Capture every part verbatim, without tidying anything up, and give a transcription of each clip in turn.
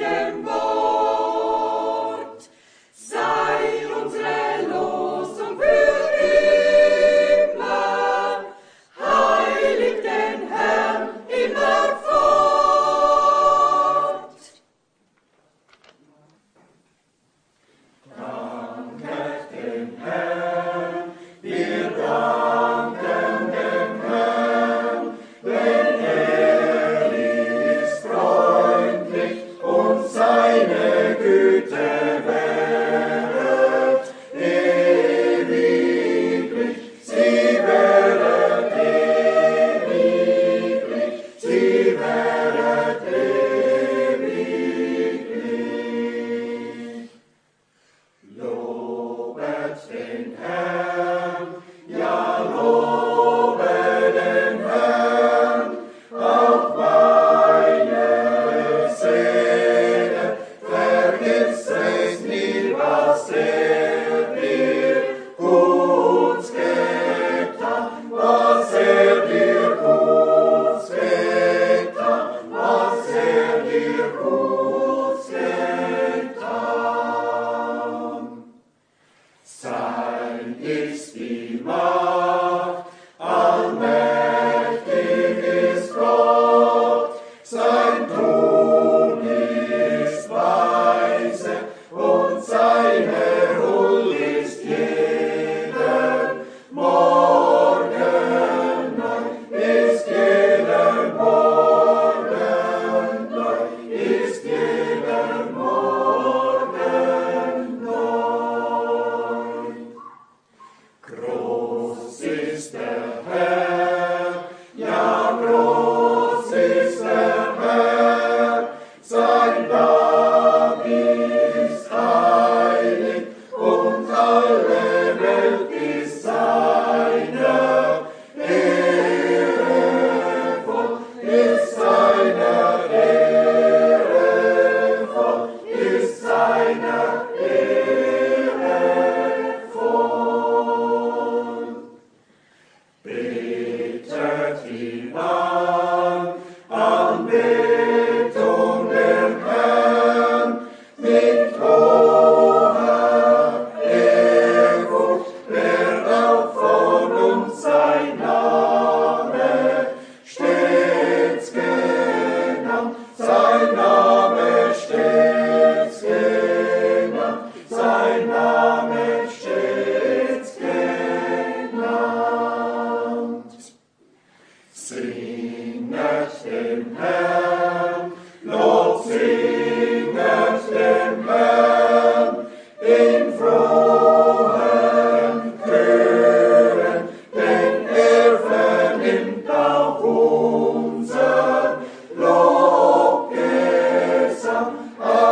Dem Wort.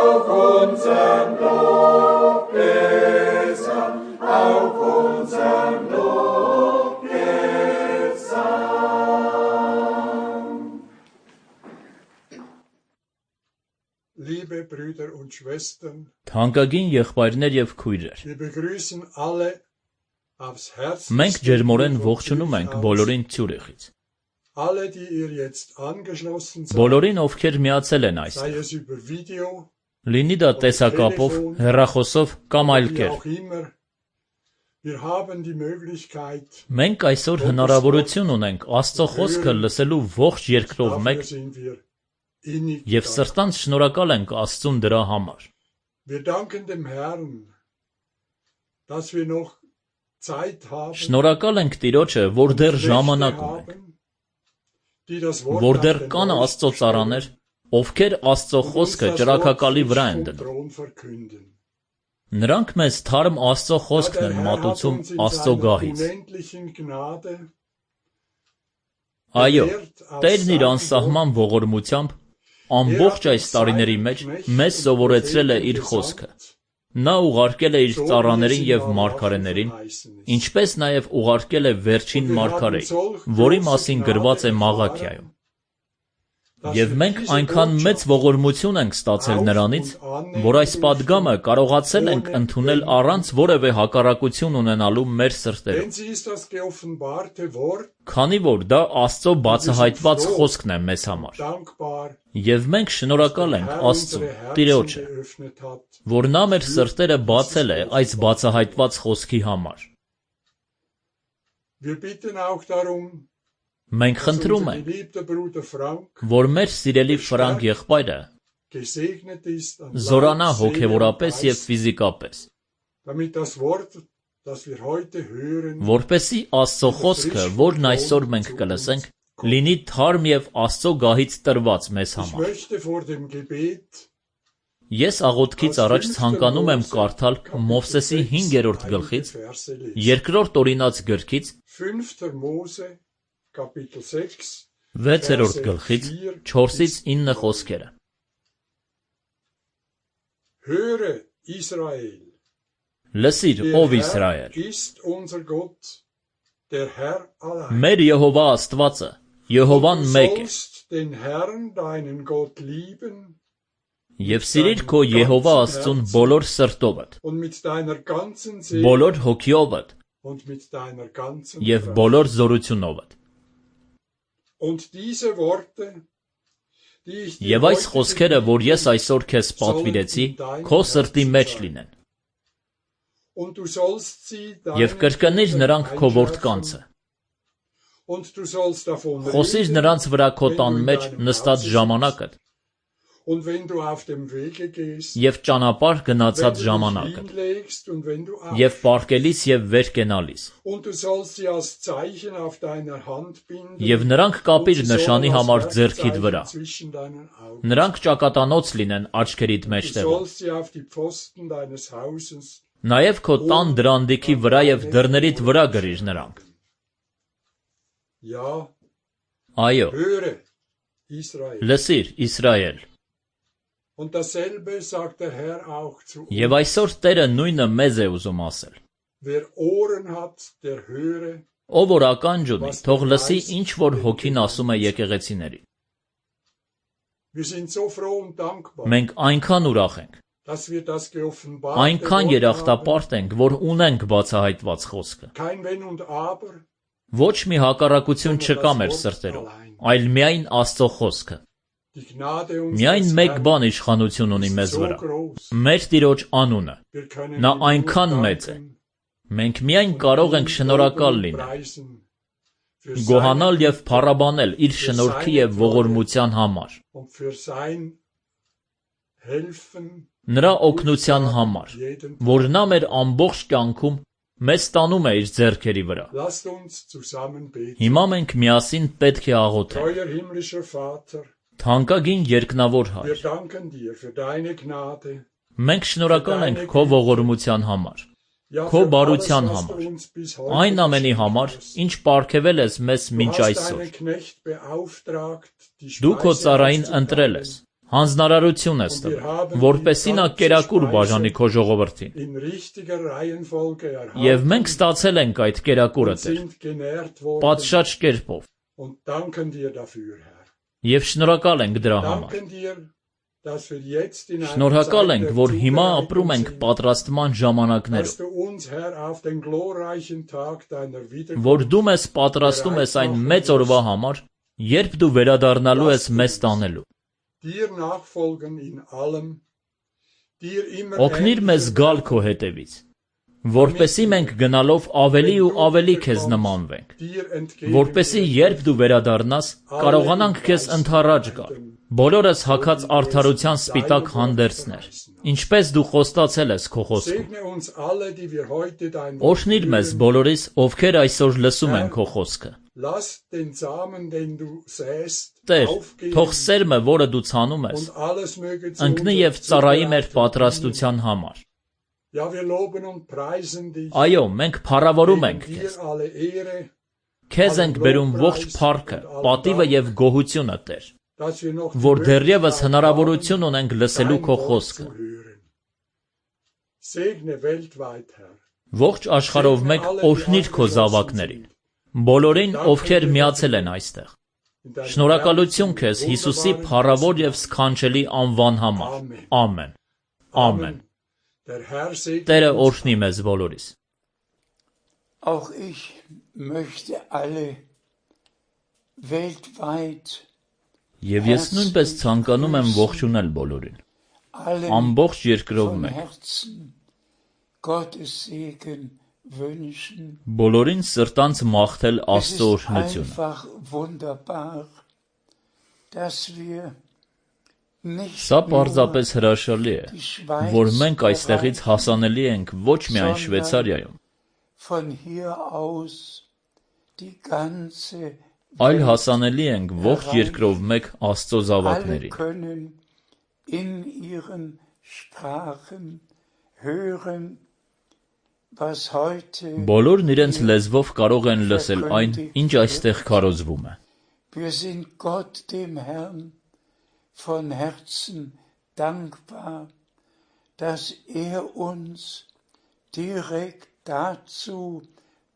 auf unseren Lobgesang, auf unseren Lobgesang. Liebe Brüder und Schwestern, Թանկագին եղբայրներ եւ քույրեր, wir begrüßen alle aufs մենք Herzlichste ջերմորեն von ողջունում ենք Zürich aus. բոլորին Ցյուրիխից, Alle, die ihr jetzt angeschlossen seid, բոլորին ովքեր միացել են այստեղ, sei es über Video, լինի դա տեսակապով, հեռախոսով կամ այլ wie կերպ։ auch immer. Wir haben die Möglichkeit, Մենք այսօր հնարավորություն ունենք Աստծո խոսքը լսելու ողջ երկրով մեկ dafür sind wir innig եւ dankbar. սրտանց շնորհակալ ենք Աստծուն դրա համար։ Wir danken dem Herrn, dass wir noch Zeit haben, Շնորհակալ ենք Տիրոջը, որ դեռ ժամանակ ունենք, haben, die das Wort որ auf դեռ den կան Wolf Աստծո stellen ծառաներ, ովքեր Աստծո und uns խոսքը das ճրագակալի Wort վրա են vom դնում։ Thron verkünden. Նրանք մեզ թարմ Աստծո Ja, խոսքն der են Herr hat մատուցում uns in Աստծո seiner գահից։ unendlichen Gnade Այո, bewährt aus Տերն իր seinem անսահման ողորմությամբ ամբողջ այս տարիների մեջ մեզ սովորեցրել է իր խոսքը։ Նա ուղարկել է իր ծառաներին եւ մարգարեներին, ինչպես նաեւ ուղարկել է վերջին մարգարեին, որի մասին գրված է Մաղաքիայում։ Եվ մենք այնքան մեծ ողորմություն ենք ստացել նրանից, որ այս պատգամը կարողացել ենք ընդունել առանց որևէ հակառակություն ունենալու մեր սրտերում, Denn sie ist das geoffenbarte Wort, քանի որ դա Աստծո բացահայտված խոսքն է մեզ համար։ dankbar, Եվ մենք շնորհակալ ենք Herr Աստծուն, unsere Herzen Տիրոջը, geöffnet hat. որ նա մեր սրտերը բացել է այս բացահայտված խոսքի համար։ Wir bitten auch darum, Մենք dass խնդրում unser ենք, geliebter Bruder Frank որ մեր սիրելի Ֆրանկ եղբայրը gesegnet ist an զորանա Leib, Seele und հոգևորապես եւ Geist, ֆիզիկապես, damit das Wort, das wir heute hören, որպեսզի Աստծո խոսքը, որն այսօր մենք կլսենք, լինի թարմ եւ Աստծո գահից տրված մեզ ich համար։ möchte vor dem Gebet Ես աղոթքից առաջ ցանկանում եմ կարդալ Մովսեսի հինգերորդ գլխից, Verse lesen. երկրորդ օրինաց գրքից, fünfter Mose, Kapitel sechs, վեցերորդ գլխից, չորսից ինը խոսքերը։ Höre, Israel, Լսիր, der ով Herr Իսրայել, ist unser Gott, der Herr allein. մեր Եհովա Աստվածը, Եհովան Du մեկ է, sollst den Herrn, deinen Gott lieben եւ սիրիր քո Եհովա Աստծուն բոլոր սրտովդ, und mit deiner ganzen Seele բոլոր հոգիովդ und mit deiner ganzen եւ Kraft. բոլոր զորությունովդ։ Und diese Worte, die ich dir Եվ այս heute խոսքերը, որ ես gegeben այսօր քեզ պատվիրեցի, քո սրտի մեջ լինեն, und du sollst sie եւ deinen կրկնիր Kindern նրանք քո einschärfen, որդկանցը, und du sollst davon խոսիր reden, նրանց վրա քո wenn տան du in մեջ deinem նստած Hause ժամանակդ sitzt. Und wenn du auf dem Wege gehst, եւ ճանապարհ wenn գնացած du dich ժամանակդ hinlegst und wenn du եւ aufstehst. պարկելիս եւ վեր կենալիս, Und du sollst sie als Zeichen auf deiner Hand binden. եւ նրանք կապիր und sie նշանի sollen als համար ձեռքիդ Werkzeichen վրա, zwischen deinen Augen. նրանք ճակատանոց լինեն աչքերիդ Du մեջտեղում, sollst sie auf die Pfosten deines Hauses նաեւ քո տան դրանդիքի վրա եւ դռներից վրա գրիր նրանք։ Ja, Այո, höre, Israel. լսիր, Իսրայել։ Und dasselbe sagt der Herr auch zu uns. Եվ այսօր Տերը նույնը մեզ է ուզում ասել։ Wer Ohren hat, der höre. Ով որ ականջ ունի, թող լսի ինչ որ հոգին ասում է եկեղեցիների։ Wir sind so froh und dankbar, Մենք այնքան ուրախ ենք, dass wir das geoffenbarte այնքան Wort haben. երախտապարտ ենք, որ ունենք բացահայտված խոսքը։ Kein Wenn und Aber, Ոչ մի հակառակություն չկա մեր սրտերում, այլ միայն Աստծո խոսքը։ die Gnade Միայն unseres մեկ Herrn բան իշխանություն ունի ist մեզ so վրա։ groß. Մեր Տիրոջ անունը։ Wir können Նա ihm nur այնքան մեծ է։ danken Մենք միայն կարող ենք und շնորհակալ loben und լինել, preisen für գոհանալ sein եւ փառաբանել իր շնորհքի եւ ողորմության համար, und für sein Helfen նրա օգնության համար, jeden. որ նա մեր ամբողջ կյանքում մեզ տանում է իր ձեռքերի վրա։ Lasst uns zusammen beten. Հիմա մենք միասին պետք է աղոթենք։ Treuer himmlischer Vater, Թանկագին երկնավոր wir Հայր, danken dir für deine Gnade. մենք շնորհակալ ենք քո ողորմության համար, Ja, Քո für բարության alles, was համար, du uns bis heute այն ամենի geschenkt համար, hast. ինչ պարգևել ես մեզ Du մինչ hast այսօր։ deinen Knecht beauftragt, die Դու քո Speise ծառային auszuteilen. ընտրել ես, հանձնարարություն ես տվել, որպեսզի նա կերակուր բաժանի քո ժողովրդին։ Եվ մենք ստացել ենք այդ կերակուրը, Տեր, պատշաճ կերպով։ Եվ շնորհակալ ենք դրա համար։ Շնորհակալ ենք, որ հիմա ապրում ենք պատրաստման ժամանակներում, որ դու մեզ պատրաստում ես այն մեծ օրվա համար, երբ դու վերադառնալու ես մեզ տանելու։ Օգնիր մեզ գալ քո հետևից, որպեսզի մենք գնալով ավելի ու ավելի քեզ նմանվենք, որպեսզի երբ դու վերադառնաս, կարողանանք քեզ ընդառաջ գալ, բոլորս հագած արդարության սպիտակ հանդերձներ, ինչպես դու խոստացել ես քո խոսքում։ Օրհնիր մեզ բոլորիս, ովքեր այսօր լսում են քո խոսքը։ Տեր, թող սերմը, որը դու ցանում ես, ընկնի և ծառայի մեր պատրաստության համար։ Այո, մենք փառավորում ենք քեզ։ Քեզ ենք բերում ողջ փառքը, պատիվը և գոհությունը, Տեր, որ դեռևս հնարավորություն ունենք լսելու քո խոսքը։ Ողջ աշխարհով մեկ օրհնիր քո զավակներին, բոլորին, ովքեր միացել են այստեղ։ Շնորհակալություն քեզ Հիսուսի փառավոր և սքանչելի անվան համար։ Ամեն։ Ամեն։ Տերը օրհնի մեզ բոլորիս։ Auch ich möchte alle weltweit Եվ ես նույնպես ցանկանում եմ ողջունել բոլորին, ամբողջ երկրով մեկ։ Բոլորին սրտանց մաղթել Աստծո օրհնությունը։ Սա պարզապես հրաշալի է, որ մենք այստեղից հասանելի ենք ոչ միայն Շվեյցարիայում, այլ հասանելի ենք ողջ երկրով մեկ Աստծո զավակներին։ Բոլորն իրենց լեզվով կարող են լսել այն, ինչ այստեղ քարոզվում է։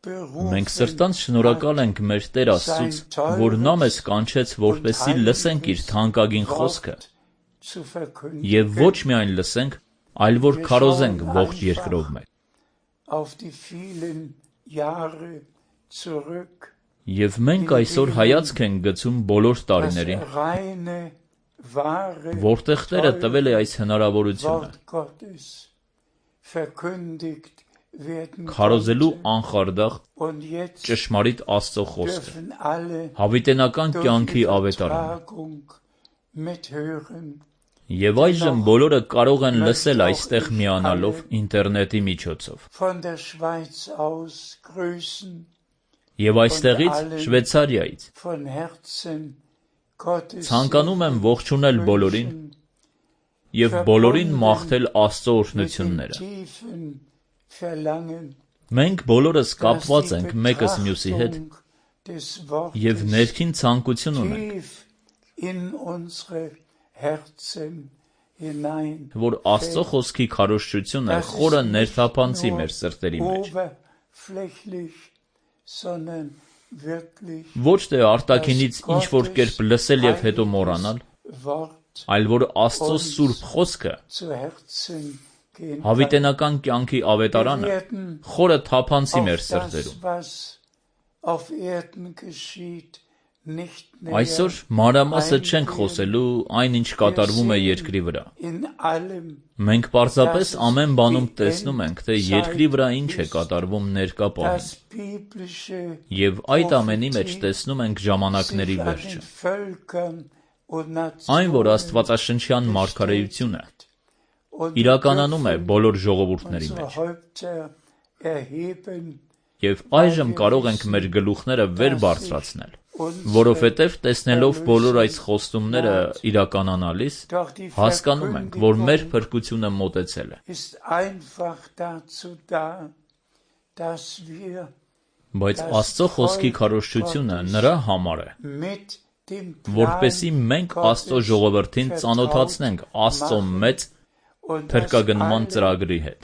Մենք սրտանց շնորհակալ ենք մեր Տեր Աստծուց, որ նա մեզ կանչեց, որպեսզի լսենք իր թանկագին խոսքը, և ոչ միայն լսենք, այլ որ քարոզենք ողջ երկրով մեկ։ Եվ մենք այսօր հայացք ենք գցում բոլոր տարիներին, որտեղ Տերը տվել է այս հնարավորությունը, քարոզելու անխարդախ, ճշմարիտ Աստծո խոսքը, հավիտենական կյանքի ավետարանը։ Եվ այժմ բոլորը կարող են լսել այստեղ միանալով ինտերնետի միջոցով։ Եվ այստեղից, Շվեյցարիայից, ցանկանում եմ ողջունել բոլորին և բոլորին մաղթել Աստծո օրհնությունները։ Մենք բոլորս կապված ենք մեկս մյուսի հետ և ներքին ցանկություն ունենք, որ Աստծո խոսքի քարոզչությունը խորը ներթափանցի մեր սրտերի մեջ։ Ոչ թե արտաքինից ինչ-որ կերպ լսել և հետո մոռանալ, այլ որ Աստծո սուրբ խոսքը, հավիտենական կյանքի ավետարանը, խորը թափանցի մեր սրտերում։ Այսօր մանրամասը չենք խոսելու այն, ինչ կատարվում է երկրի վրա։ Մենք պարզապես ամեն բանում տեսնում ենք, թե երկրի վրա ինչ է կատարվում ներկա պահին, և այդ ամենի մեջ տեսնում ենք ժամանակների վերջը։ Այն, որ աստվածաշնչյան մարգարեությունը իրականանում է բոլոր ժողովուրդների մեջ։ Եվ այժմ կարող ենք մեր գլուխները վեր բարձրացնել, որովհետև տեսնելով բոլոր այս խոստումները իրականանալիս, հասկանում ենք, որ մեր փրկությունը մոտեցել է։ Բայց Աստծո խոսքի քարոզչությունը նրա համար է, որպեսզի մենք Աստծո ժողովրդին ծանոթացնենք Աստծո մեծ փրկագնման ծրագրի հետ,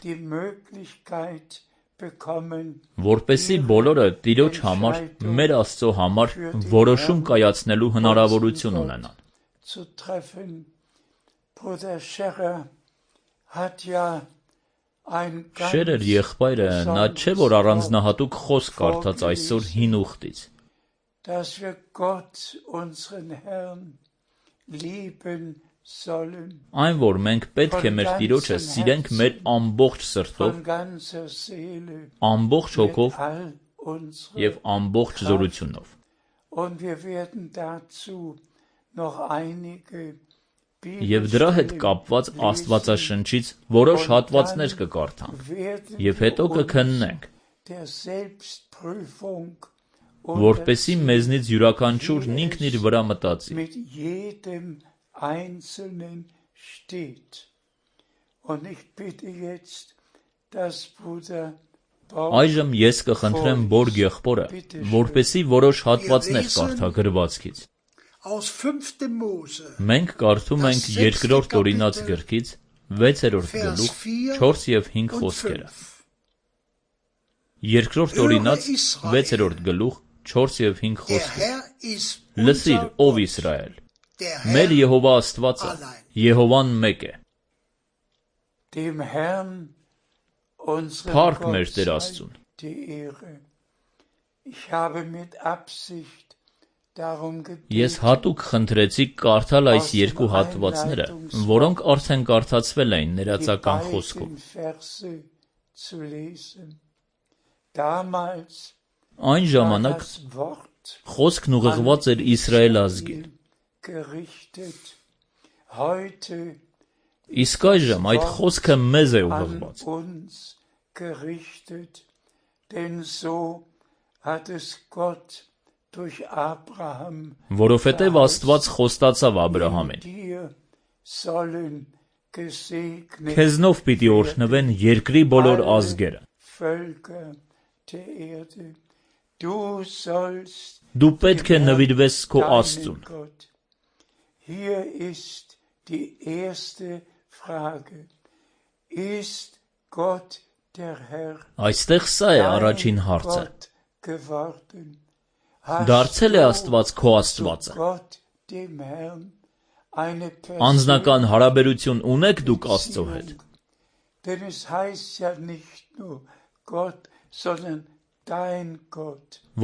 որպեսզի բոլորը Տիրոջ համար, մեր Աստծո համար որոշում կայացնելու հնարավորություն ունենան։ Շերեր եղբայրը, նա չէ, որ առանձնահատուկ խոսք կարդաց այսօր հին ուխտից։ Այն, որ մենք պետք է մեր Տիրոջը սիրենք մեր ամբողջ սրտով, ամբողջ հոգով և ամբողջ զորությունով։ Եվ դրա հետ կապված Աստվածաշնչից որոշ հատվածներ կկարդանք, և հետո կքննենք, որպեսզի մեզնից յուրաքանչյուրն ինքն իր վրա մտածի։ Այժմ ես կխնդրեմ Բորգ եղբորը, որպեսզի որոշ հատվածներ կարդա գրվածքից։ Մենք կարդում ենք Երկրորդ Օրինաց գրքից վեցերորդ գլուխ չորս և հինգ խոսքերը։ Երկրորդ Օրինաց վեցերորդ գլուխ չորս և հինգ խոսքեր։ Լսիր, ով Իսրայել, մեր Եհովա Աստվածը, Եհովան մեկ է։ Փառք մեր Տեր Աստծուն։ Ես հատուկ խնդրեցի կարդալ այս երկու հատվածները, որոնք արդեն կարդացվել էին ներածական խոսքով։ Այն ժամանակ խոսքն ուղղված էր Իսրայել ազգին։ Իսկ այժմ այդ խոսքը մեզ է ուղղված։ Որովհետև Աստված խոստացավ Աբրահամին. քեզնով պիտի օրհնվեն երկրի բոլոր ազգերը։ Դու պետք է նվիրվես քո Աստծուն։ Այստեղ սա է առաջին հարցը. դարձել է Աստված քո Աստվածը։ Անձնական հարաբերություն ունեք դուք Աստծո հետ։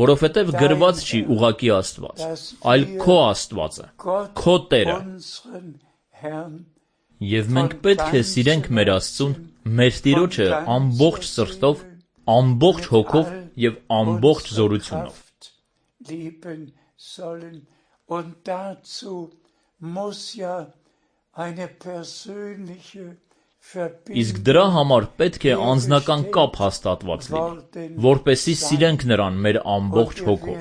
Որովհետև գրված չի ուղղակի Աստված, այլ քո Աստվածը, քո Տերը։ Եվ մենք պետք է սիրենք մեր Աստծուն, մեր Տիրոջը ամբողջ սրտով, ամբողջ հոգով և ամբողջ զորությունով։ Իսկ դրա համար պետք է անձնական կապ հաստատված լինի, որպեսզի սիրենք Նրան մեր ամբողջ հոգով։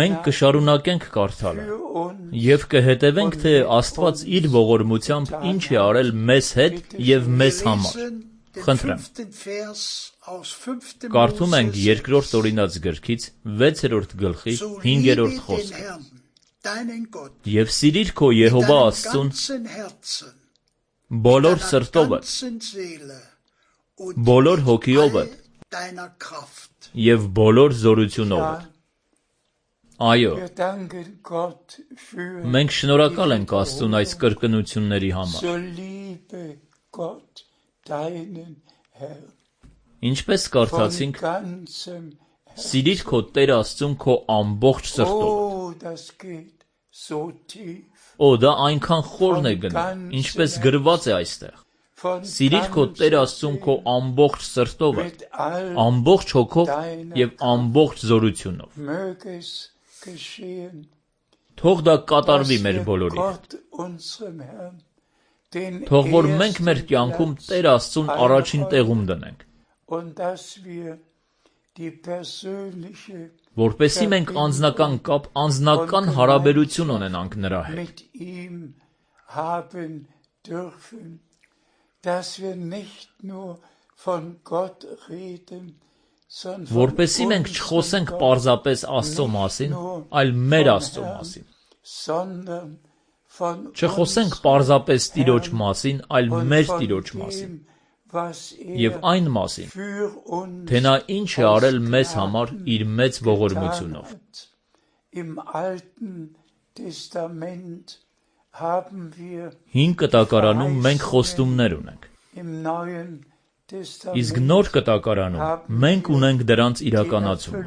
Մենք կշարունակենք կարդալը և կհետևենք, թե Աստված իր ողորմությամբ ինչ է արել մեզ հետ և մեզ համար։ Խնդրեմ։ Կարդում ենք Երկրորդ Օրինաց գրքից վեցերորդ գլխի հինգերորդ խոսքը։ Եվ սիրիր քո Եհովա Աստծուն բոլոր սրտովդ, բոլոր հոգիովդ և բոլոր զորությունովդ։ Այո, մենք շնորհակալ ենք Աստծուն այս կրկնությունների համար։ Ինչպես կարդացինք, սիրիր քո Տեր Աստծուն քո ամբողջ սրտով։ Օ, դա այնքան խորն է գնում, ինչպես գրված է այստեղ։ Սիրիր քո Տեր Աստծուն քո ամբողջ սրտով, ամբողջ հոգով և ամբողջ զորությունով։ Թող դա կատարվի մեր բոլորի հետ։ Թող որ մենք մեր կյանքում Տեր Աստծուն առաջին տեղում դնենք, որպեսզի մենք անձնական կապ, անձնական հարաբերություն ունենանք նրա հետ։ որպեսզի մենք չխոսենք պարզապես Աստծո մասին, այլ մեր Աստծո մասին։ Չխոսենք պարզապես Տիրոջ մասին, այլ մեր Տիրոջ մասին, և այն մասին, թե նա ինչ է արել մեզ համար իր մեծ ողորմությունով։ Հին կտակարանում մենք խոստումներ ունենք, իսկ նոր կտակարանում մենք ունենք դրանց իրականացումը։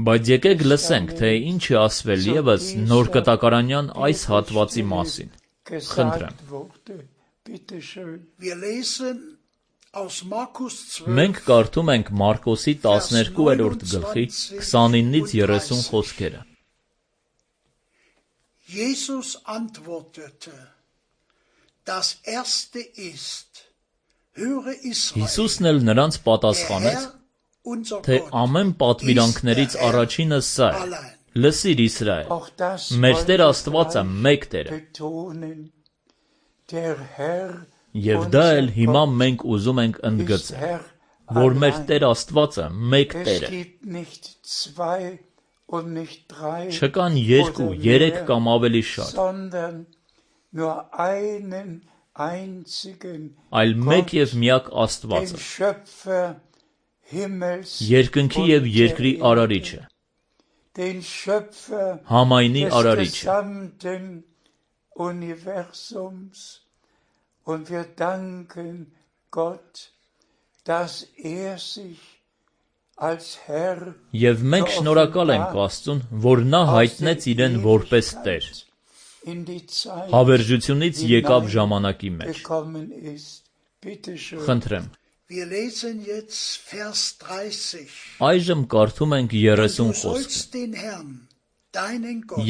Բայց եկեք լսենք, թե ինչ է ասվել ևս նոր կտակարանյան այս հատվածի մասին։ Խնդրեմ։ Մենք կարդում ենք Մարկոսի տասներկուերորդ գլխի քսանինից երեսուն խոսքերը։ Jesus antwortete, das erste ist, höre Israel, Հիսուսն էլ նրանց պատասխանեց, թե ամեն պատվիրանքներից առաջինը սա է. լսիր Իսրայել, մեր Տեր Աստվածը մեկ Տեր է։ Եվ դա էլ հիմա մենք ուզում ենք ընդգծել, որ մեր Տեր Աստվածը մեկ Տեր է։ Չկան երկու, երեք կամ ավելի շատ, այլ մեկ և միակ Աստվածը, երկնքի և երկրի արարիչը, համայնի արարիչը։ Und wir danken Gott, dass er sich als Herr Եվ մենք շնորհակալ ենք Աստծուն, որ նա հայտնեց իրեն որպես Տեր։ Հավերժությունից եկավ ժամանակի մեջ։ Խնդրեմ։ Այժմ կարդում ենք երեսուն խոսքը։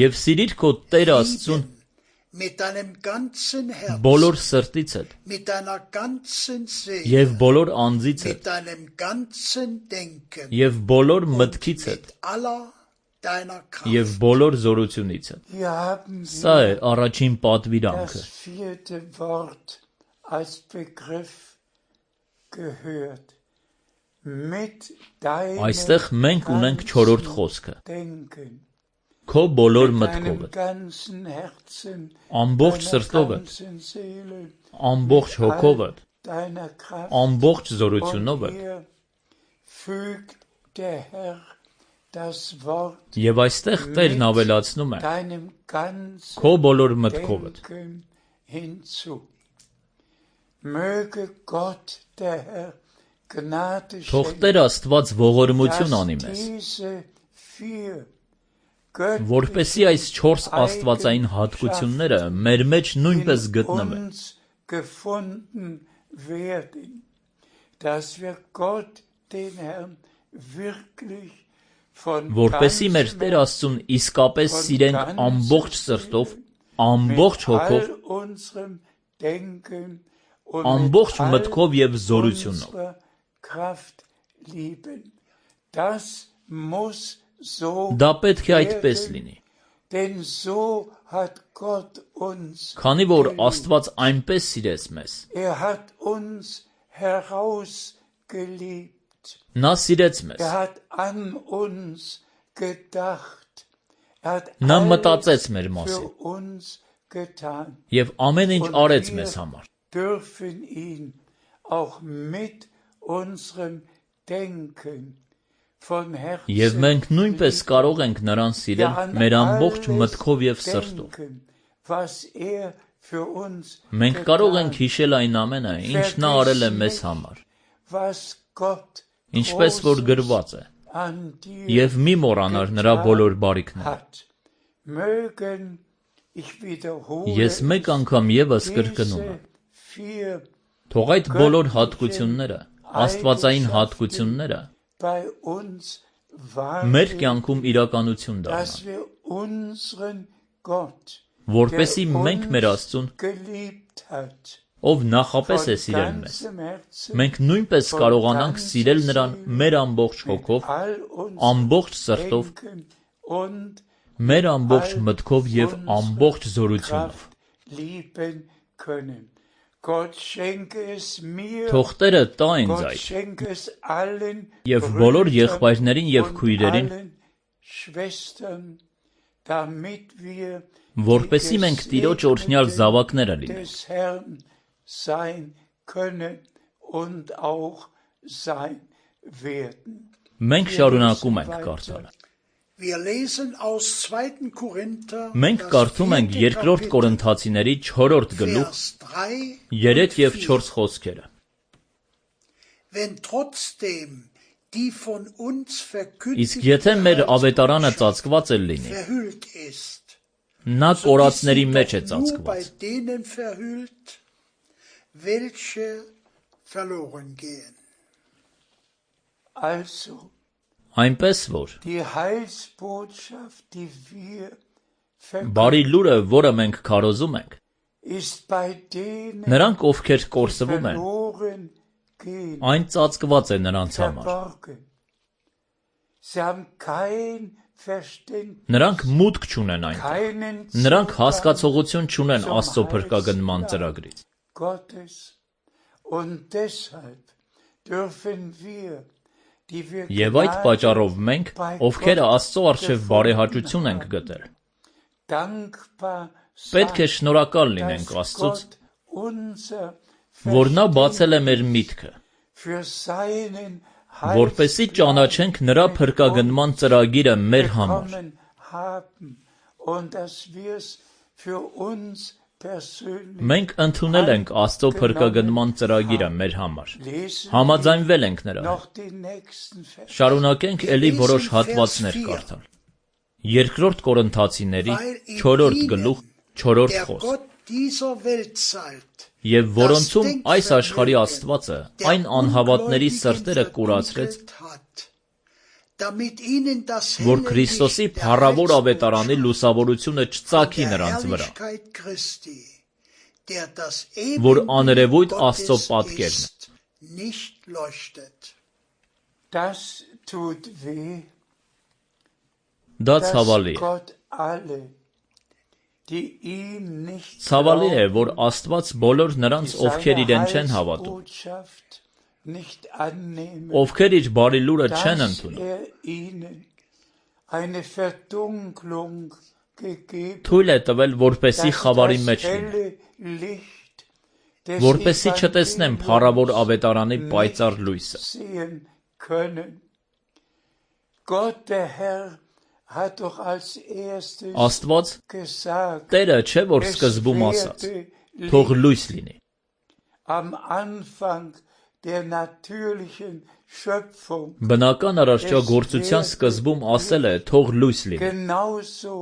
Եվ սիրիր քո Տեր Աստծուն բոլոր սրտից հետ, և բոլոր անձից հետ, և բոլոր մտքից հետ, և բոլոր զորությունից հետ։ Սա է առաջին պատվիրանքը։ Այստեղ մենք ունենք չորրորդ խոսքը։ Քո բոլոր մտքովդ, ամբողջ սրտովդ, ամբողջ հոգովդ, ամբողջ զորությունովդ, և այստեղ Տերն ավելացնում է քո բոլոր մտքովդ։ Թող Տեր Աստված ողորմություն անի մեզ, որպեսզի այս չորս աստվածային հատկությունները մեր մեջ նույնպես գտնվեն, որպեսզի մեր Տեր Աստծուն իսկապես սիրենք ամբողջ սրտով, ամբողջ հոգով, ամբողջ մտքով և զորությունով։ Դա պետք է այդպես լինի, քանի որ Աստված այնպես սիրեց մեզ։ Նա սիրեց մեզ։ Նա մտածեց մեր մասին և ամեն ինչ արեց մեզ համար։ Եվ մենք նույնպես կարող ենք նրան սիրել մեր ամբողջ մտքով և սրտով։ Մենք կարող ենք հիշել այն ամենը, ինչ նա արել է մեզ համար, ինչպես որ գրված է, և մի մոռանար նրա բոլոր բարիքները։ Ես մեկ անգամ ևս կրկնում եմ, թող այդ բոլոր հատկությունները, աստվածային հատկությունները մեր կյանքում իրականություն դառնան, որպեսզի մենք մեր Աստծուն, ով նախապես է սիրել մեզ, մենք նույնպես կարողանանք սիրել նրան մեր ամբողջ հոգով, ամբողջ սրտով, մեր ամբողջ մտքով և ամբողջ զորությունով։ Gott schenke es mir, Թող Տերը տա ինձ Gott այդ, schenke es allen եւ բոլոր Brüdern եղբայրներին եւ und քույրերին, allen Schwestern, damit wir որպեսզի մենք Տիրոջ օրհնյալ զավակները լինենք։ des Herrn sein können und auch sein werden. Մենք շարունակում ենք կարդալ։ Wir lesen aus zweiten Korinther, Մենք կարդում ենք երկրորդ Կորինթացիների չորրորդ գլուխ Vers drei երեք եւ չորս խոսքերը։ Wenn trotzdem die von uns Իսկ verkündigte եթե մեր ավետարանը ծածկված է լինի, verhüllt ist, նա so ist կորածների sie մեջ է doch nur bei ծածկված։ denen verhüllt, welche verloren gehen. Also, Այնպես որ die Heilsbotschaft, die wir բարի verkünden, լուրը, որը մենք քարոզում ենք, ist bei denen նրանք ովքեր կորսվում են, verloren gehen, այն ծածկված է նրանց համար։ verborgen. Sie haben kein Verständnis, Նրանք մուտք չունեն այնտեղ։ keinen Նրանք Zugang հասկացողություն չունեն zum Աստծո փրկագնման Heilsplan ծրագրից։ Gottes. Und deshalb dürfen wir, die wir Եվ այդ Gnade պատճառով մենք, bei ովքեր Gott Աստծո առջև բարեհաճություն ենք գտել, dankbar պետք է sein, շնորհակալ լինենք dass Աստծուց, Gott unser որ նա բացել է մեր միտքը, für seinen որպեսզի ճանաչենք նրա փրկագնման ծրագիրը մեր համար, bekommen haben und dass wir es für uns persönlich մենք ընդունել ենք Աստծո փրկագնման ծրագիրը մեր համար, lesen. համաձայնվել ենք նրա հետ։ Noch die nächsten Verse. Շարունակենք էլի որոշ հատվածներ կարդալ։ Երկրորդ Կորինթացիների չորրորդ գլուխ չորրորդ Der խոսք։ Gott dieser Weltzeit, Եվ որոնցում այս աշխարհի Աստվածը այն անհավատների սրտերը կուրացրեց, damit ihnen das որ helle Քրիստոսի Licht der փառավոր ավետարանի Heilsbotschaft լուսավորությունը չծագի der նրանց վրա, Herrlichkeit Christi, der das որ Ebenbild աներևույթ Gottes Աստծո պատկերն է։ ist, nicht leuchtet. Das tut weh, Դա dass ցավալի է։ Gott alle, die ihm nicht Ցավալի է, որ glauben, Աստված բոլոր նրանց, die ովքեր seine իրեն չեն հավատում, Heilsbotschaft nicht annehmen, ովքեր իր բարի լուրը չեն dass ընդունում, er ihnen eine Verdunklung gegeben, թույլ է տվել, որպեսի dass խավարի das մեջ լինեն, helle Licht des որպեսի չտեսնեն փառավոր Evangeliums ավետարանի պայծառ nicht լույսը։ sehen können. Gott, der Herr, hat doch als erstes Աստված gesagt, Տերը չէ, որ es սկզբում ասաց, werde թող Licht. լույս լինի։ Am Anfang der natürlichen Schöpfung. Բնական արարչագործության սկզբում ասել է, թող լույս լինի։ Genauso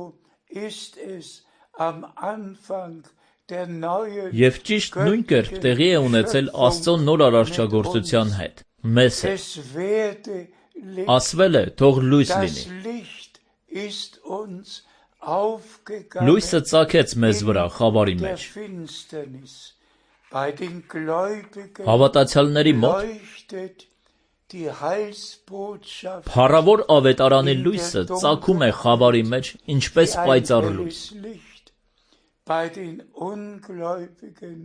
ist es am Anfang der neuen Եվ ճիշտ նույն կերպ տեղի է ունեցել Աստծո նոր արարչագործության հետ, մեզ հետ։ Es werde Licht. Ասվել է, թող լույս Das լինի։ Licht ist uns aufgegangen Լույսը ծագեց մեզ վրա խավարի in der մեջ։ Finsternis. Bei den Gläubigen Հավատացյալների մոտ leuchtet die Heilsbotschaft փառավոր ավետարանի լույսը ծագում է խավարի մեջ, ինչպես wie ein պայծառ լույս։ helles Licht. Bei den Ungläubigen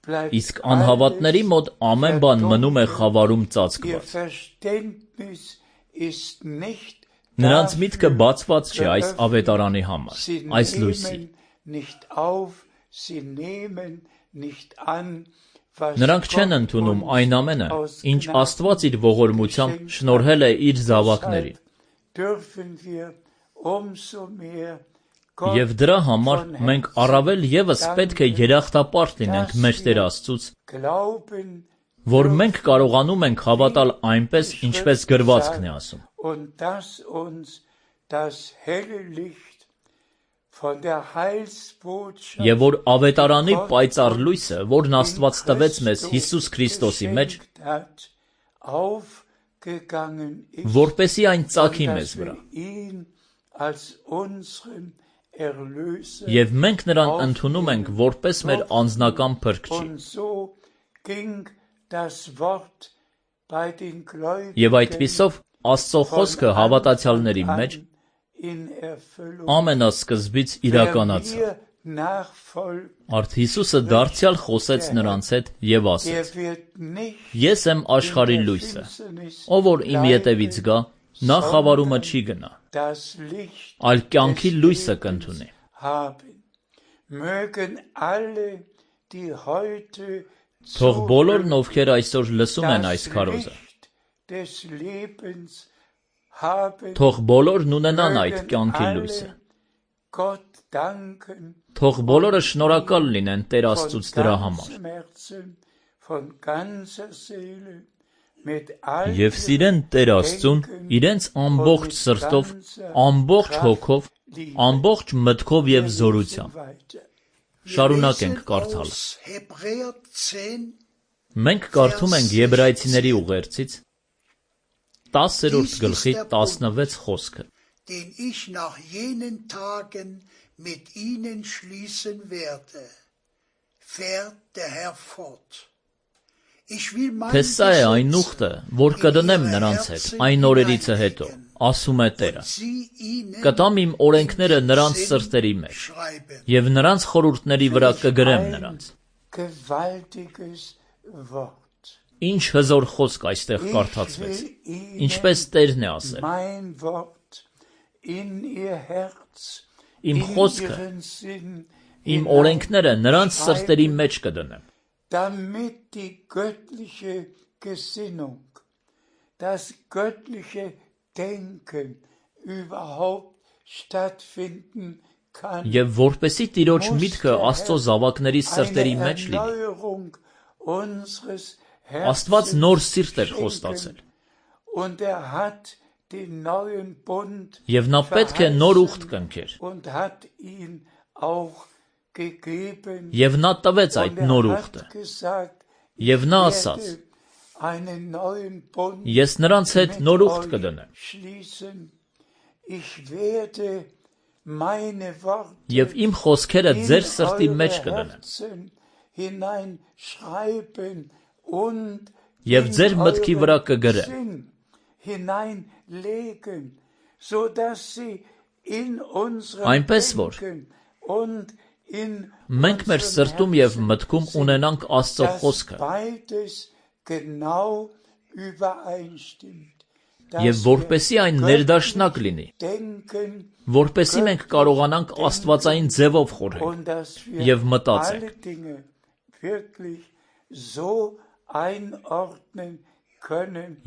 bleibt Իսկ անհավատների մոտ ամեն բան մնում է խավարում Ihr ծածկված։ Verständnis ist nicht Նրանց միտքը dafür բացված չէ այս geöffnet. ավետարանի համար, Sie այս լույսի։ nehmen nicht auf, sie nehmen nicht an, was Նրանք չեն Gott ընդունում uns այն ամենը, aus ինչ Gnaden Աստված իր ողորմությամբ geschenkt շնորհել է իր hat. զավակներին։ Deshalb dürfen wir umso mehr Gott Եվ դրա համար von մենք Herzen առավել եւս պետք է երախտապարտ լինենք մեր Տեր Աստծուց, glauben, որ մենք կարողանում ենք հավատալ այնպես, ինչպես գրվածքն է ասում։ und dass uns das helle Licht von der Heilsbotschaft Եվ որ ավետարանի պայծառ լույսը, որն Աստված տվեց մեզ Հիսուս Քրիստոսի մեջ, geschenkt hat, aufgegangen ist, որպեսի այն ծագի und մեզ dass վրա։ wir ihn als unseren Erlöser Եվ մենք նրան ընդունում ենք որպես մեր անձնական փրկչի։ und so ging das Wort bei den Gläubigen Եվ այդպիսով Աստծո խոսքը հավատացյալների մեջ in Erfüllung. ամենասկզբից Wer իրականացավ։ mir Արդ Հիսուսը դարձյալ խոսեց նրանց հետ և ասեց. Ես եմ աշխարհի լույսը, ով որ իմ ետևից գա, նա խավարումը չի գնա, այլ կյանքի լույսը կընդունի։ Թող բոլորն, ովքեր այսօր լսում են այս քարոզը, թող բոլորն ունենան այդ կյանքի լույսը։ Թող բոլորը շնորհակալ լինեն Տեր Աստծուց դրա համար։ Եվ սիրեն Տեր Աստծուն իրենց ամբողջ սրտով, ամբողջ հոգով, ամբողջ մտքով և զորությամբ։ Շարունակենք կարդալը։ Մենք կարդում ենք Եբրայեցիների ուղերձից տասերորդ գլխի տասնվեց խոսքը։ Den ich nach jenen Tagen mit ihnen schließen werde, fährt der Herr fort. Թե սա է այն ուխտը, որ կդնեմ նրանց հետ այն օրերիցը հետո, ասում է Տերը, կտամ իմ օրենքները նրանց սրտերի մեջ, և նրանց խորհուրդների վրա կգրեմ նրանց։ Ինչ հզոր խոսք այստեղ կարդացվեց, ինչպես Տերն է ասել։ Իմ խոսքը, իմ օրենքները նրանց սրտերի մեջ կդնեմ։ Damit die göttliche Gesinnung, das göttliche Denken überhaupt stattfinden kann. Եվ որպեսի Տիրոջ միտքը Աստծո զավակների սրտերի մեջ լինի, Աստված նոր սիրտ էր խոստացել։ Եվ նա պետք է նոր ուխտ կնքեր։ Եվ նա տվեց այդ նոր ուխտը։ Եվ նա ասաց. Ես նրանց հետ նոր ուխտ կդնեմ։ Եվ իմ խոսքերը ձեր սրտի մեջ կդնեմ։ Եվ ձեր մտքի վրա կգրեմ։ Այնպես որ մենք մեր սրտում և մտքում ունենանք Աստծո խոսքը, և որպեսի այն ներդաշնակ լինի, որպեսի մենք կարողանանք աստվածային ձևով խորհել և մտածենք,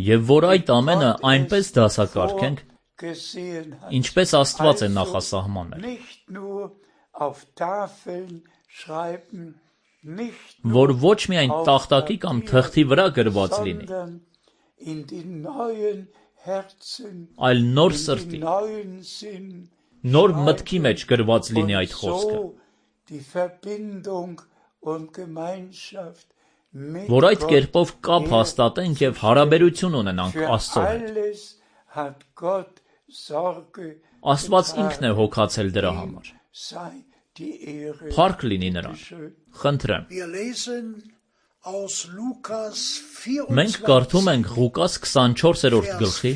և որ այդ ամենը այնպես դասակարգենք, ինչպես Աստված է նախասահմանել, որ ոչ միայն տախտակի կամ թղթի վրա գրված լինի, այլ նոր սրտի, նոր մտքի մեջ գրված լինի այդ խոսքը, որ այդ կերպով կապ հաստատենք և հարաբերություն ունենանք Աստծո հետ։ Աստված ինքն է հոգացել դրա համար։ Փառք լինի նրան։ Խնդրեմ։ Մենք կարդում ենք Ղուկաս քսանչորսերորդ գլխի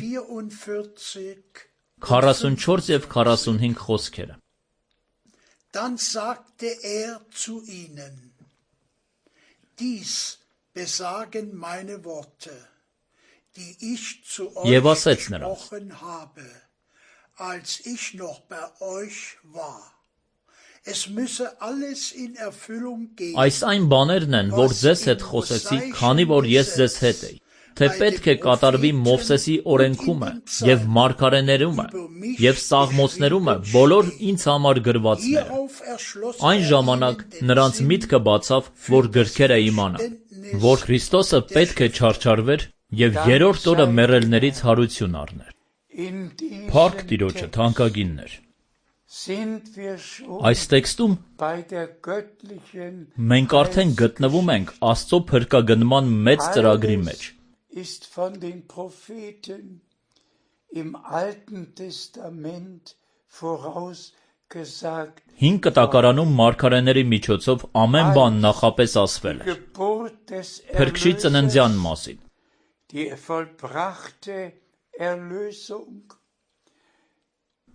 քառասունչորս և քառասունհինգ խոսքերը։ Dann sagte er zu ihnen, dies besagen meine Worte, die ich zu euch gesprochen habe, als ich noch bei euch war. Es müsse alles in Erfüllung gehen. Այս այն բաներն են, որ ձեզ հետ խոսեցի, քանի որ ես ձեզ հետ էի, թե պետք է կատարվի Մովսեսի օրենքումը և մարգարեներումը և Սաղմոսներումը բոլոր ինձ համար գրվածները։ Այն ժամանակ նրանց միտքը բացավ, որ գրքերը իմանան, որ Քրիստոսը պետք է չարչարվեր և երրորդ օրը մեռելներից հարություն առներ։ Փառք Տիրոջը, թանկագիններ։ Այս տեքստում մենք արդեն գտնվում ենք Աստծո փրկագնման մեծ ծրագրի մեջ։ Հին կտակարանում մարգարեների միջոցով ամեն բան նախապես ասվել էր։ Փրկչի ծննդյան մասին։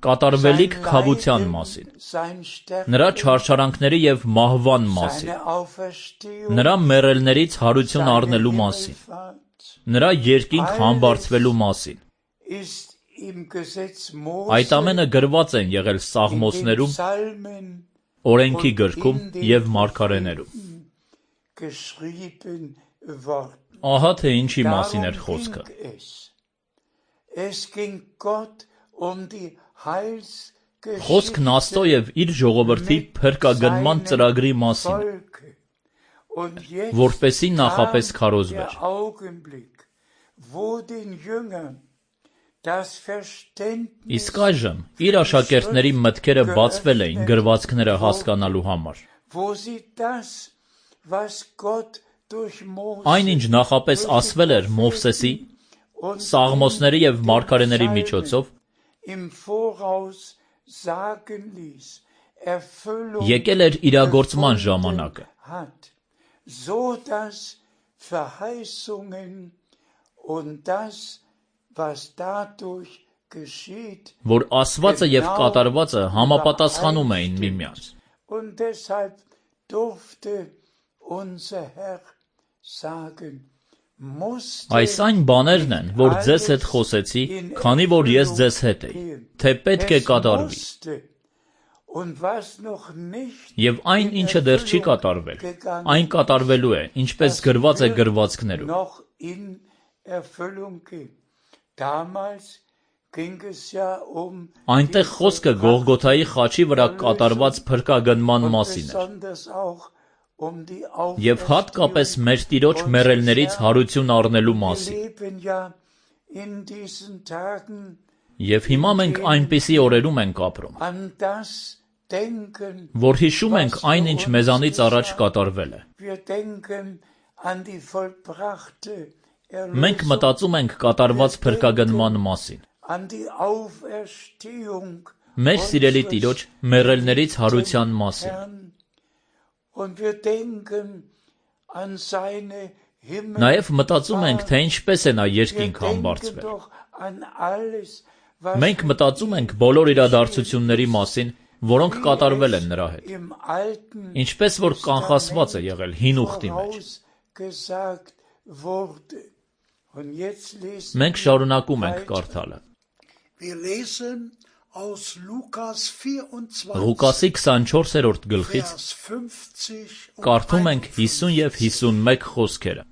կատարվելիք քավության մասին, նրա չարչարանքների և մահվան մասին, նրա մեռելներից հարություն առնելու մասին, նրա երկինք համբարձվելու մասին։ Այդ ամենը գրված են եղել Սաղմոսներում, օրենքի գրքում և մարգարեներում։ Ահա թե ինչի մասին էր խոսքը։ Խոսքն Աստծո և իր ժողովրդի փրկագնման ծրագրի մասին է, որպեսզի նախապես քարոզվեր։ Իսկ այժմ իր աշակերտների մտքերը բացվել էին գրվածքները հասկանալու համար։ Այն, ինչ նախապես ասվել էր Մովսեսի, Սաղմոսների և մարգարեների միջոցով, եկել էր իրագործման ժամանակը։ Որ ասվածը և կատարվածը համապատասխանում էին միմյանց։ Այս այն բաներն են, որ ձեզ հետ խոսեցի, քանի որ ես ձեզ հետ էի, թե պետք է կատարվի։ Եվ այն, ինչը դեռ չի կատարվել, այն կատարվելու է, ինչպես գրված է գրվածքներում։ Այնտեղ խոսքը Գողգոթայի խաչի վրա կատարված փրկագնման մասին էր։ Եվ հատկապես մեր Տիրոջ մեռելներից հարություն առնելու մասին։ Եվ հիմա մենք այնպիսի օրերում ենք ապրում, որ հիշում ենք այն, ինչ մեզանից առաջ կատարվել է։ Մենք մտածում ենք կատարված փրկագնման մասին, մեր սիրելի Տիրոջ մեռելներից հարության մասին։ Նաև մտածում ենք, թե ինչպես է նա երկինք համբարձվել։ Մենք մտածում ենք բոլոր իրադարձությունների մասին, որոնք կատարվել են նրա հետ, ինչպես որ կանխասված է եղել հին ուխտի մեջ։ Մենք շարունակում ենք կարդալը։ Ղուկասի քսանչորսերորդ գլխից կարդում ենք հիսուն և հիսունմեկ խոսքերը։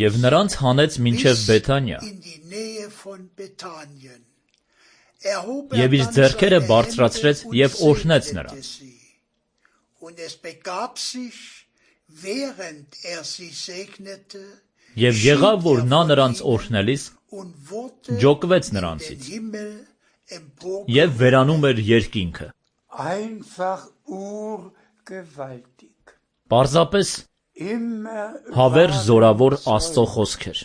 Եվ նրանց հանեց մինչև Բեթանիա, և իր ձեռքերը բարձրացրեց և օրհնեց նրանց։ Եվ եղավ, որ նա նրանց օրհնելիս ջոկվեց նրանցից և վերանում էր երկինքը։ Պարզապես հավերժ զորավոր Աստծո խոսքեր։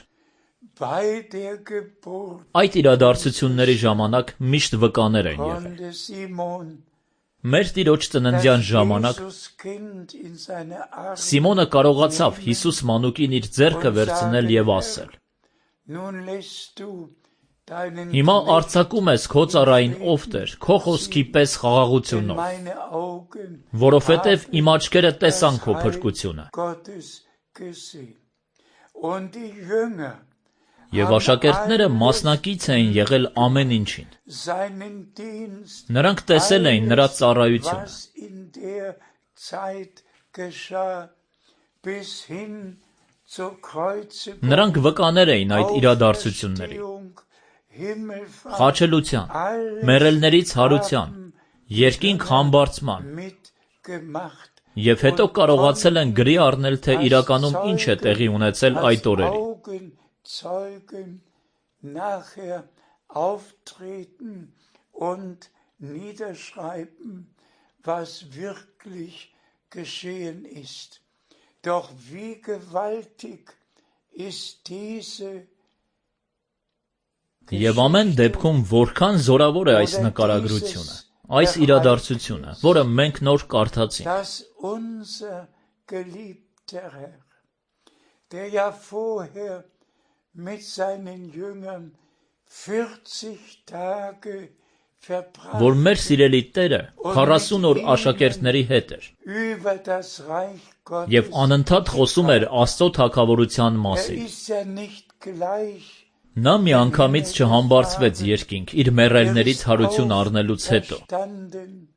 Այդ իրադարձությունների ժամանակ միշտ վկաներ են եղել։ Մեր Տիրոջ ծննդյան ժամանակ Սիմոնը կարողացավ Հիսուս մանուկին իր ձեռքը վերցնել և ասել. «Հիմա արձակում ես քո ծառային, ով Տեր, քո խոսքի պես խաղաղությունով, որովհետև իմ աչքերը տեսան քո փրկությունը»։ Եվ աշակերտները մասնակից էին եղել ամեն ինչին։ Նրանք տեսել էին նրա ծառայությունը։ Նրանք վկաներ էին այդ իրադարձությունների, խաչելության, մեռելներից հարության, երկինք համբարձման, և հետո կարողացել են գրի առնել, թե իրականում ինչ է տեղի ունեցել այդ օրերին։ Եվ ամեն դեպքում որքան զորավոր է այս նկարագրությունը, այս իրադարձությունը, որը մենք նոր կարդացինք։ mit seinen Jüngern vierzig Tage verbracht որ մեր սիրելի Տերը քառասուն օր աշակերտների հետ էր über das Reich Gottes. եւ անընդհատ խոսում էր Աստծո թագավորության Er մասին։ ist ja nicht gleich. Նա միանգամից չհամբարձվեց երկինք իր մեռելներից հարություն առնելուց հետո, Verstanden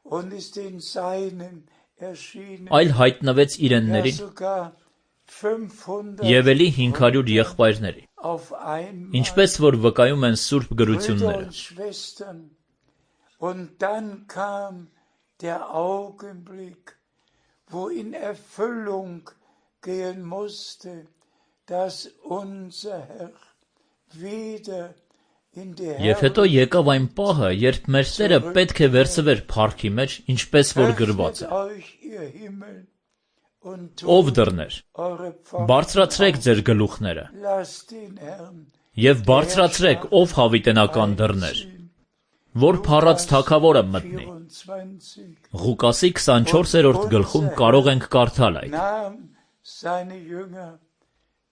und ist den Seinen erschienen. այլ հայտնվեց Ja, իրեններին sogar fünfhundert եւ էլի հինգ հարյուր եղբայրների, auf einmal. ինչպես որ վկայում են Սուրբ Brüder գրությունները։ und Schwestern. Und dann kam der Augenblick, wo in Erfüllung gehen musste, dass unser Herr wieder in die Եվ հետո եկավ այն պահը, երբ մեր Տերը պետք է վերցվեր փառքի մեջ, ինչպես որ գրված է. euch ihr Himmel und Ով tut դռներ, eure Pforten բարձրացրեք ձեր գլուխները lasst den Herrn եւ բարձրացրեք ով հավիտենական դռներ, որ փառած թագավորը մտնի։ vierundzwanzig Ղուկասի քսանչորսերորդ գլխում կարող ենք կարդալ այդ. nahm seine Jünger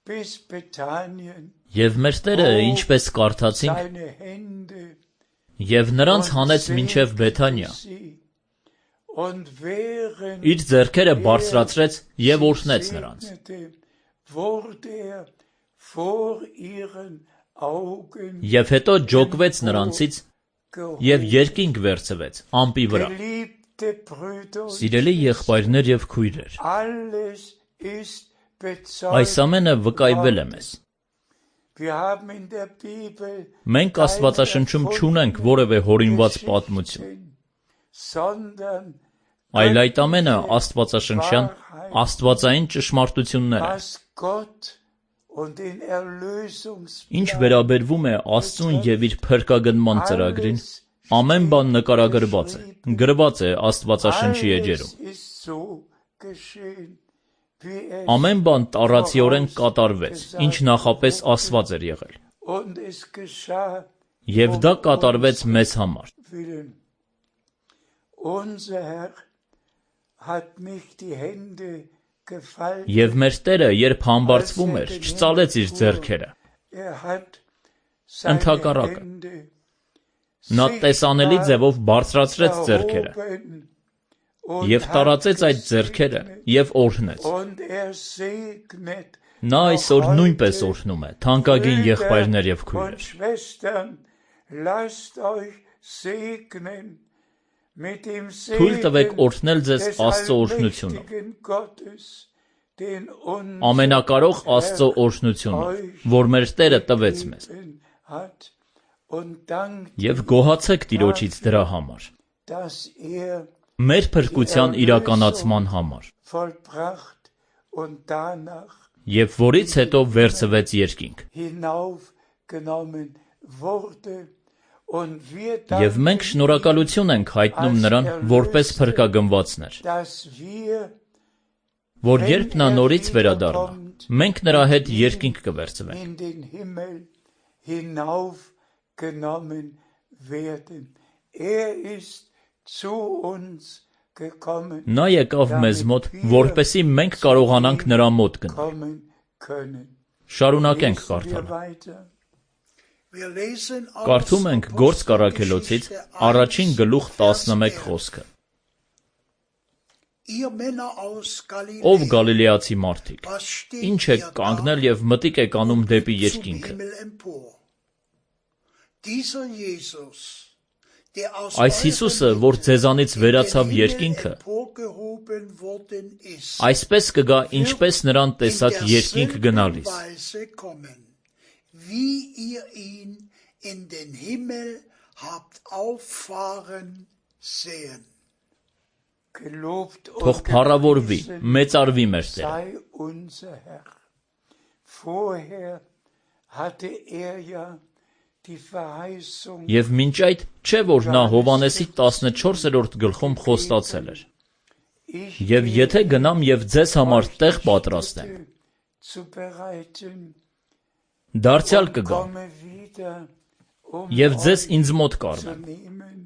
bis Bethanien Եվ մեր Տերը, ինչպես կարդացինք, seine Hände եւ նրանց հանեց մինչև Բեթանիա, sie und während իր ձեռքերը բարձրացրեց եւ օրհնեց նրանց։ segnete, wurde er vor ihren Augen Եվ հետո ջոկվեց նրանցից եւ երկինք վերցվեց ամպի վրա։ geliebte Brüder und Սիրելի եղբայրներ եւ քույրեր, alles ist այս bezeugt. ամենը վկայվել է մեզ։ Wir haben in der Bibel Մենք Աստվածաշնչում չունենք որևէ հորինված պատմություն, sondern այլ այդ ամենը աստվածաշնչյան, աստվածային ճշմարտություններ են։ was Gott und den Erlösungsplan Ինչ վերաբերվում է Աստծուն եւ իր փրկագնման ծրագրին, ամեն բան նկարագրված է, գրված է Աստվածաշնչի էջերում։ alles ist so geschehen, wie es Ամեն բան տառացիորեն կատարվեց, ինչ նախապես ասված էր եղել։ und es geschah Եվ դա կատարվեց մեզ համար։ willen. Unser Herr hat nicht die Hände gefaltet. Եվ մեր Տերը, երբ համբարձվում էր, չծալեց իր ձեռքերը։ Er hat seine Ընդհակառակը, Hände Նա տեսանելի sichtbar ձևով բարձրացրեց ձեռքերը erhoben und եւ hat տարածեց այդ ձեռքերը gesegnet. եւ օրհնեց։ Und er segnet Նա այսօր նույնպես օրհնում է, թանկագին եղբայրներ եւ und քույրեր։ Schwestern, lasst euch segnen mit dem Թույլ տվեք Segen օրհնել ձեզ des Աստծո օրհնությունով, allmächtigen Gottes, den uns ամենակարող Աստծո օրհնությունով, որ մեր Տերը տվեց մեզ։ hat und dankt, Եվ գոհացեք Տիրոջից դրա համար, dass er մեր փրկության իրականացման համար, vollbracht und danach եւ որից հետո վերցվեց երկինք։ hinaufgenommen wurde und wir Եվ մենք danken շնորհակալություն ենք հայտնում նրան որպես փրկագնվածներ, dass wir որ երբ նա նորից վերադառնա, մենք նրա հետ երկինք կվերցվենք։ in den Himmel hinaufgenommen werden. Er ist zu uns gekommen, Նա եկավ մեզ մոտ, որպեսզի մենք կարողանանք նրա մոտ գնալ։ kommen können. Շարունակենք Lesen wir կարդալ։ weiter. Wir lesen aus Կարդում ենք Գործ Կարաքելոցից առաջին գլուխ տասնմեկ խոսքը։ Ihr Männer aus Ով Galiläa, գալիլեացի մարդիկ, was steht ինչ եք ihr կանգնել da եւ մտիկ եք անում դեպի zum երկինքը։ Himmel empor? Dieser Jesus, der aus Այս Հիսուսը, որ ձեզանից վերացավ երկինքը, emporgehoben worden ist, այսպես կգա, ինչպես նրան in տեսաք երկինք derselben գնալիս։ Weise kommen, wie ihr ihn in den Himmel habt auffahren sehen. Gelobt Թող und փառավորվի, gepriesen մեծարվի մեր Տերը։ sei unser Herr. Vorher hatte er ja die Verheißung Եվ մինչ այդ չէ որ նա Հովանեսի տասնչորսերորդ գլխում խոստացել էր. ich Եվ եթե գնամ եւ ձեզ համար տեղ պատրաստեմ, zu bereiten, դարձյալ կգամ komme wieder, um եւ ձեզ euch ինձ մոտ zu կառնեմ, nehmen,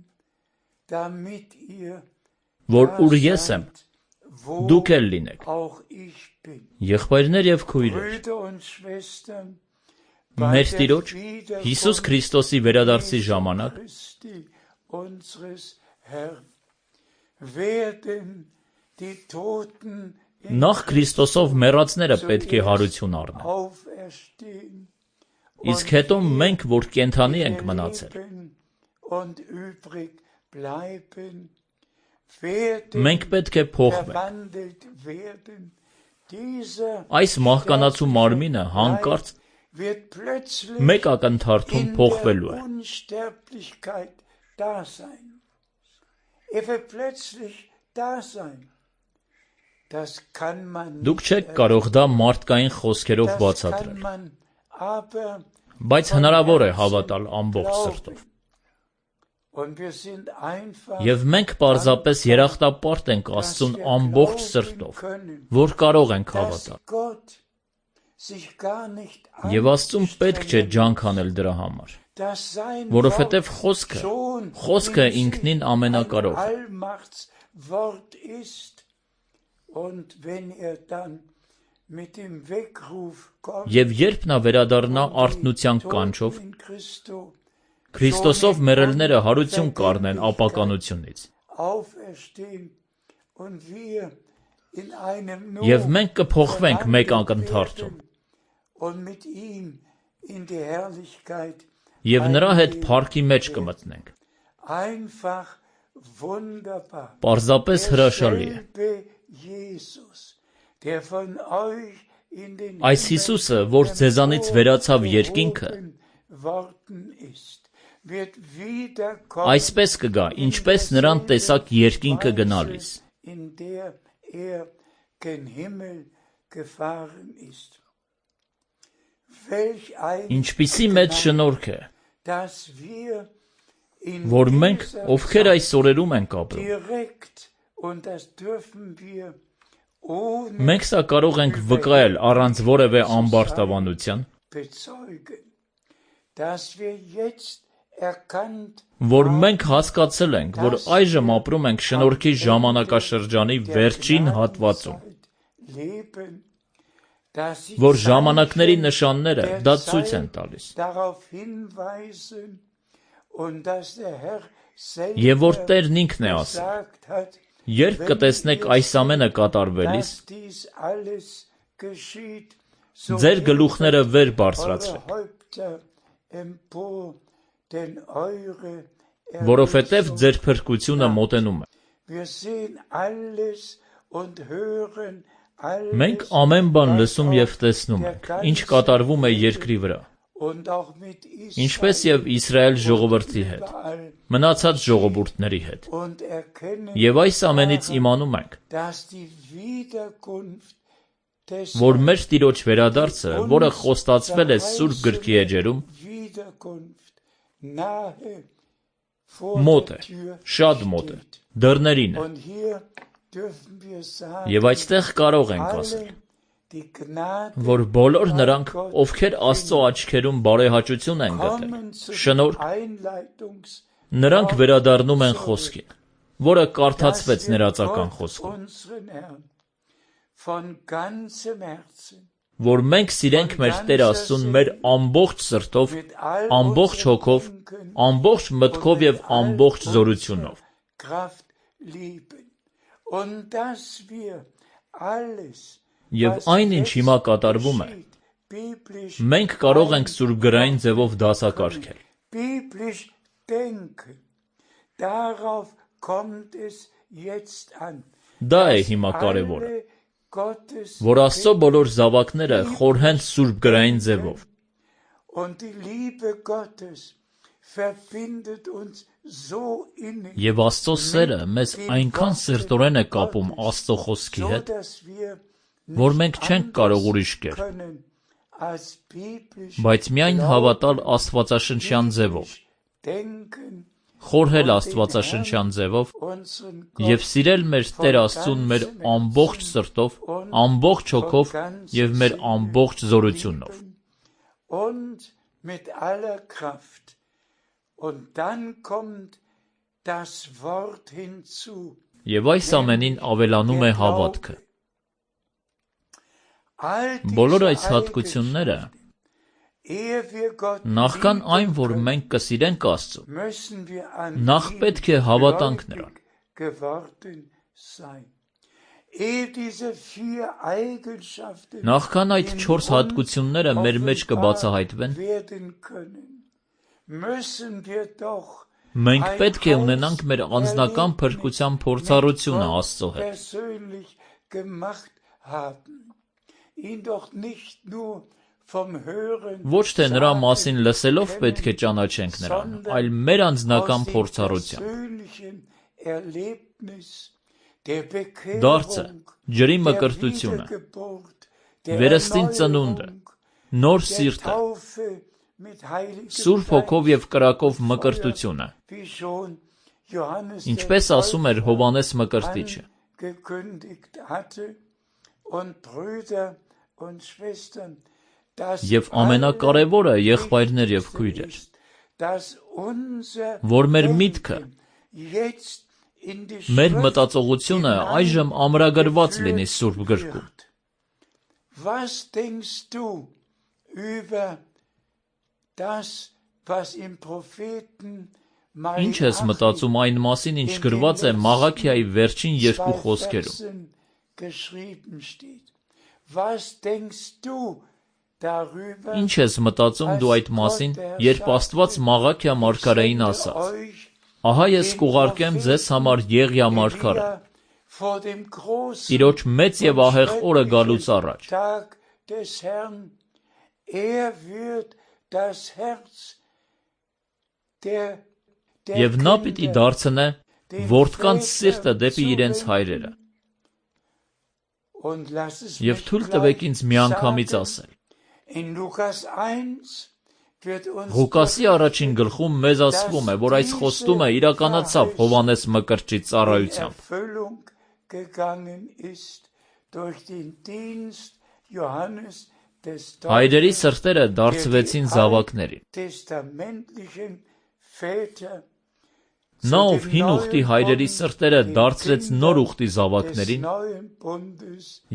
damit ihr որ da ուր ես եմ, seid, wo դուք էլ լինեք։ auch ich bin. Եղբայրներ եւ քույրեր, Brüder und Schwestern, մեր Տիրոջ Հիսուս Քրիստոսի վերադարձի ժամանակ նախ Քրիստոսով մեռածները պետք է հարություն առնեն, իսկ հետո մենք, որ կենդանի ենք մնացել, մենք պետք է փոխվենք։ Այս մահկանացու մարմինը հանկարծ մեկ ակնթարթում փոխվելու է։ Դուք չեք կարող դա մարդկային խոսքերով բացատրել, բայց հնարավոր է հավատալ ամբողջ սրտով։ Եվ մենք պարզապես երախտապարտ ենք Աստծուն ամբողջ սրտով, որ կարող ենք հավատալ։ Եվ Աստծուն պետք չէ ջանք անել դրա համար, որովհետև խոսքը, խոսքը ինքնին ամենակարող է։ Եվ երբ նա վերադառնա արթնության կանչով, Քրիստոսով մեռելները հարություն կառնեն ապականությունից։ Եվ մենք կփոխվենք մեկ ակնթարթում, և նրա հետ փառքի մեջ կմտնենք։ Պարզապես հրաշալի է։ Այս Հիսուսը, որ ձեզանից վերացավ երկինքը, այսպես կգա, ինչպես նրան տեսաք երկինքը գնալիս։ Ինչպիսի մեծ շնորհք է, որ մենք, ովքեր այս օրերում ենք ապրում, մենք սա կարող ենք վկայել առանց որևէ ամբարտավանության, որ մենք հասկացել ենք, որ այժմ ապրում ենք շնորհքի ժամանակաշրջանի վերջին հատվածում, որ ժամանակների նշանները դա ցույց են տալիս, և որ Տերն ինքն է ասել. երբ կտեսնեք այս ամենը կատարվելիս, ձեր գլուխները վեր բարձրացրեք, որովհետև ձեր փրկությունը մոտենում է։ Մենք ամեն բան լսում և տեսնում ենք, ինչ կատարվում է երկրի վրա, ինչպես և Իսրայել ժողովրդի հետ, մնացած ժողովուրդների հետ, և այս ամենից իմանում ենք, որ մեր Տիրոջ վերադարձը, որը խոստացվել է Սուրբ Գրքի էջերում, մոտ է, շատ մոտ է, դռներին է։ Եվ այստեղ կարող ենք ասել, որ բոլոր նրանք, ովքեր Աստծո աչքերում բարեհաճություն են գտել, շնորհք, նրանք վերադառնում են խոսքին, որը կարդացվեց ներածական խոսքում, որ մենք սիրենք մեր Տեր Աստծուն մեր ամբողջ սրտով, ամբողջ հոգով, ամբողջ մտքով և ամբողջ զորությունով։ Եվ այն, ինչ հիմա կատարվում է, մենք կարող ենք սուրբգրային ձևով դասակարգել։ Դա է հիմա կարևորը, որ Աստծո բոլոր զավակները խորհեն սուրբգրային ձևով։ Եվ Աստծո սերը մեզ այնքան սերտորեն է կապում Աստծո խոսքի հետ, որ մենք չենք կարող ուրիշ կեր, բայց միայն հավատալ աստվածաշնչյան ձևով, խորհել աստվածաշնչյան ձևով և սիրել մեր Տեր Աստծուն մեր ամբողջ սրտով, ամբողջ հոգով և մեր ամբողջ զորությունով։ Եվ այս ամենին ավելանում է հավատքը։ Բոլոր այս հատկությունները Նախքան այն, որ մենք կսիրենք Աստծուն, նախ պետք է հավատանք Նրան։ Նախքան այդ չորս հատկությունները մեր մեջ կբացահայտվեն, մենք պետք է ունենանք մեր անձնական փրկության փորձառությունը Աստծո հետ։ Ոչ թե նրա մասին լսելով պետք է ճանաչենք նրան, այլ մեր անձնական փորձառությամբ։ Դարձը, ջրի մկրտությունը, վերստին ծնունդը, նոր սիրտը, Սուրբ Հոգով և կրակով մկրտությունը, ինչպես ասում էր Հովհաննես Մկրտիչը։ Եվ ամենակարևորը, եղբայրներ և քույրեր, որ մեր միտքը, մեր մտածողությունը այժմ ամրագրված լինի Սուրբ գրքում։ Ինչ ես մտածում այն մասին, ինչ գրված է Մաղաքիայի վերջին երկու խոսքերում։ Ինչ ես մտածում դու այդ մասին, երբ Աստված Մաղաքիա մարգարեին ասաց. «Ահա ես կուղարկեմ ձեզ համար Եղիա մարգարե, Տիրոջ մեծ և ահեղ օրը գալուց առաջ։ Եվ նա պիտի դարձնե որդկանց սիրտը դեպի իրենց հայրերը։ Եվ թույլ տվեք ինձ միանգամից ասել. Ղուկասի առաջին գլխում մեզ ասվում է, որ այս խոստումը իրականացավ Հովհաննես Մկրտչի ծառայությամբ։ Հայրերի սրտերը դարձվեցին զավակների։ Նա, ով հին ուխտի հայրերի սրտերը դարձրեց նոր ուխտի զավակներին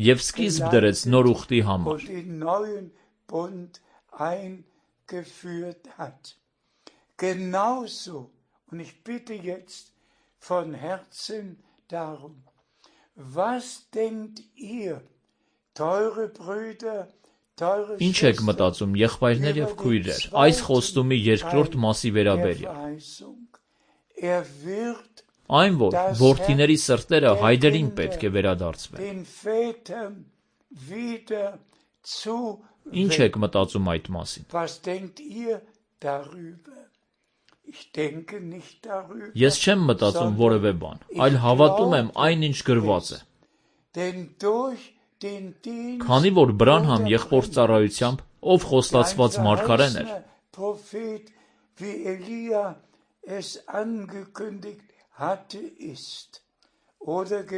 և սկիզբ դրեց նոր ուխտի համար։ Genauso, und ich bitte jetzt von Herzen darum, was denkt ihr, teure Brüder, teure Ինչ եք մտածում, եղբայրներ և քույրեր, այս խոստումի երկրորդ մասի վերաբերյալ։ Այն, որ որդիների սրտերը հայրերին պետք է վերադարձվեն։ Ինչ եք մտածում այդ մասին։ Ես չեմ մտածում որևէ բան, այլ հավատում եմ այն, ինչ գրված է։ Քանի որ Բրանհամ եղբոր ծառայությամբ, ով խոստացված մարգարեն էր,